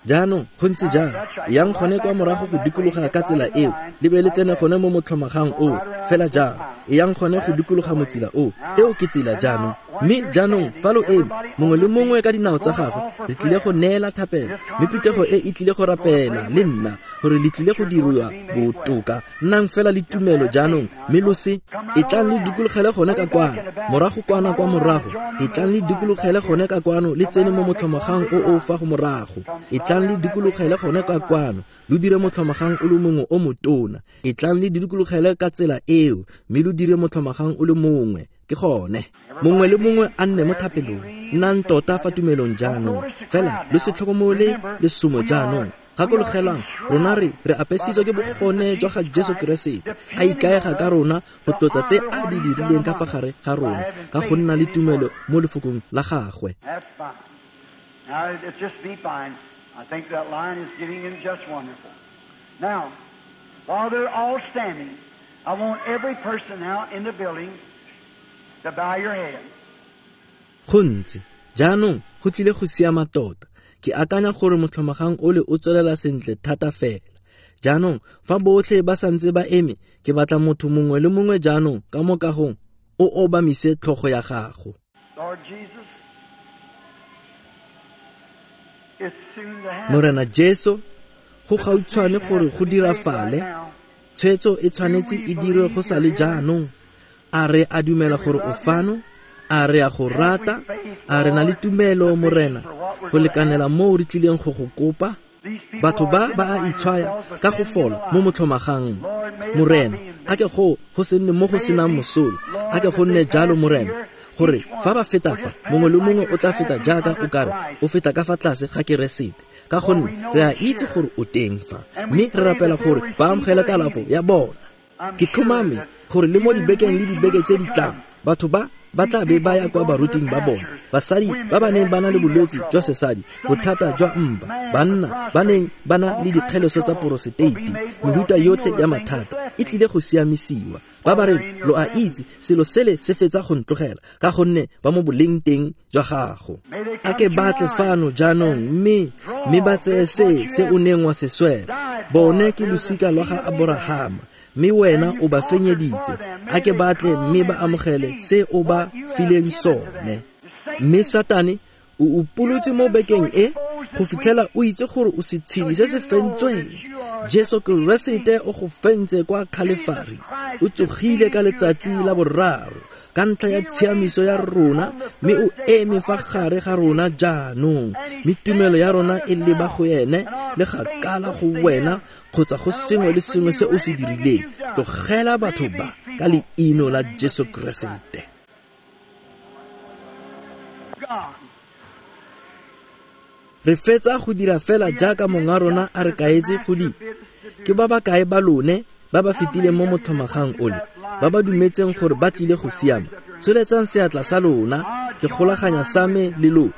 Jaanong go ntse jang? Yang gone kwa morago go dikologa ka tsela eo, le be le tsene gone mo motlhomagang o, fela jang. Yang gone go dikologa motsila o, eo ke tsela jaanong. Mme jaanong fa lo eme, mongwe le mongwe ka dinao tsa gagwe, re tlile go neela thapelo, mme phuthego e e tlile go rapela le nna gore le tlile go diriwa botoka. Nnang fela le tumelo jaanong, mme lo se e tlang le dikologele gone ka kwano, morago kwana kwa morago, e tlang le dikologele gone ka kwano, le tsene mo motlhomagang o o fa go morago, e tlang le dikologele gone ka kwano, lo dire motlhomagang o le mongwe o motona, e tlang le dikologele ka tsela eo, mme lo dire motlhomagang o le mongwe. Ke gone, mongwe le mongwe a nne mo thapelong. Nnang tota fa tumelong jaanong, fela lo se tlhokomole lesomo jaanong. Gakologelwang, rona re apesitswe ke bogone jwa ga Jesu Keresete, a ikaega ka rona go tlotsa tse a di dirileng ka fa gare ga rona, ka go nna le tumelo mo lefokong la gagwe. That's fine. Now, it's just be fine. I think that line is getting in just wonderful. Now, while they're all standing, I want every person now in the building to bow your head. Go ntse jaanong go tlile go siama tota. Ke akanya gore motlhomagang ole o tswelela sentle thata fela. Jaanong fa botlhe ba santse ba eme, ke batla motho mongwe le mongwe jaanong ka mo kagong o obamise tlhogo ya gago. Morena Jesu, go gautshwane gore go dirafale, tshwetso e tshwanetse e dirwe go sa le jaanong. A re a dumela gore o fano? A re a go rata? A re na le tumelo, Morena, go lekanela moo re tlileng go go kopa? Batho ba ba a itshwaya ka go fola mo motlhomagang. Morena, a ke go se nne mo go senang mosola. A ke go nne jalo, Morena, gore fa ba feta fa, mongwe le mongwe o tla feta jaaka o kare o feta ka fa tlase ga Keresete, ka gonne re a itse gore o teng fa, mme re rapela gore ba amogele kalafo ya bona. Ke tlhomame gore le mo dibekeng le dibeke tse di tlang, batho ba ba tla be ba ya kwa baruting ba bona, basadi ba ba neng ba na le bolwetse jwa sesadi, bothata jwa mpa, banna ba neng ba na le dikgeleso tsa poroseteiti, mehuta yotlhe ya mathata e tlile go siamisiwa. Ba ba reng, lo a itse, selo sele se fetsa go ntlogela, ka gonne ba mo boleng teng jwa gago. A ke batle fano jaanong, mme ba tseye se o neng wa se swela. Bone ke losika lwa ga Aborahama, mme wena o ba fenyeditse. A ke batle mme ba amogele se o ba fileng sone. Mme Satane o upolotse mo bekeng e go fitlhela o itse gore o setshedi se se fentsweng. Jesu Keresete o go fentse kwa Calvary, o tsogile ka letsatsi la boraro ka ntlha ya tshiamiso ya rona, mme o eme fa gare ga rona jaanong, mme tumelo ya rona e leba go ene le gakala go wena kgotsa go sengwe le sengwe se o se dirileng. Tlogela batho ba ka leino la Jesu Keresete. Re fetsa go dira fela jaaka monga rona a re kaetse go dira. Ke ba ba kae ba lone ba ba fetileng mo motlhomagang ole, ba ba dumetseng gore ba tlile go siama? Tsholetsang seatla sa lona, ke golaganya sa me le lona.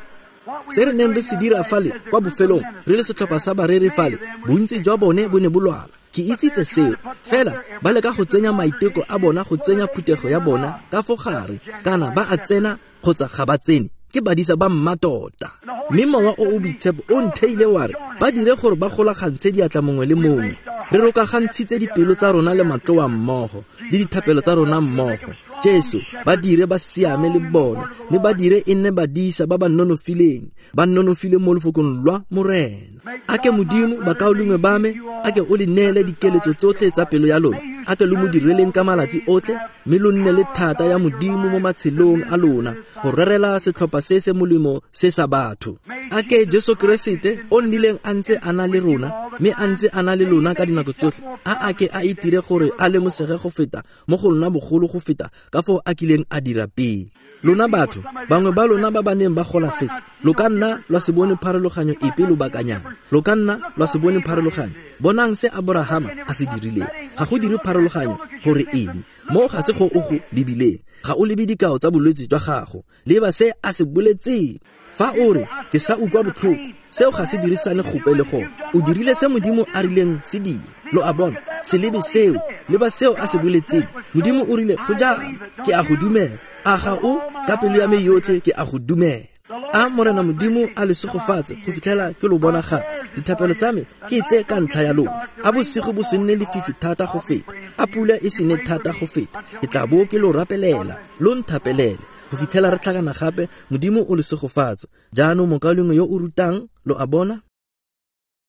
Se re neng re se dira fale kwa bofelong, re le setlhopha sa bareri fale, bontsi jwa bone bo ne bo lwala. Ke itsitse seo, fela ba leka go tsenya maiteko a bona go tsenya phuthego ya bona ka fo gare, kana ba a tsena kgotsa ga ba tsene, ke badisa ba mmatota. Mme mowa o o boitshepo o ntheile wa re ba dire gore ba golagantshe diatla mongwe le mongwe. Re rokagantshitse dipelo tsa rona le matloa mmogo, le dithapelo tsa rona mmogo. Jesu, ba dire ba siame le bona, mme ba dire e nne badisa ba ba nonofileng, ba nonofile mo lefokong lwa Morena. A ke Modimo, bakaulengwe ba me, a ke o le neele dikeletso tsotlhe tsa pelo ya lona, a ke lo mo direleng ka malatsi otlhe, mme lo nne le thata ya Modimo mo matshelong a lona go rerela setlhopha se se molemo se sa batho. A ke Jesu Keresete o nnileng a ntse a na le rona, mme a ntse a na le lona ka dinako tsotlhe, a ke a itire gore a lemosege go feta mo go lona bogolo go feta ka foo a kileng a dira pele. Lona batho, bangwe ba lona ba ba neng ba golafetse, lo ka nna lwa se bone pharologanyo epe lobakanyana. Lo ka nna lwa se bone pharologanyo. Bonang se Aborahama a se dirileng. Ga go dire pharologanyo gore eng. Mo ga se go o go lebileng. Ga o lebe dikao tsa bolwetse jwa gago. Leba se a se boletseng. Fa o re, ke sa utlwa botlhoko, seo ga se dirisane gope le gone. O dirile se Modimo a rileng se dire. Lo a bona, se lebe seo, leba seo a se boletseng. Modimo o rile, go jang, ke a go dumela. A ga o, ka pelo ya me yotlhe ke a go dumela. A Morena Modimo a le segofatse go fitlhela ke lo bona gape. Dithapelo tsa me ke tse ka ntlha ya lona. A bosigo bo se nne lefifi thata go feta, a pula e se ne thata go feta. Ke tla bo ke lo rapelela, lo nthapelele go fitlhela re tlhakana gape. Modimo o le segofatse. Jaanong mokaulengwe yo o rutang, lo a bona?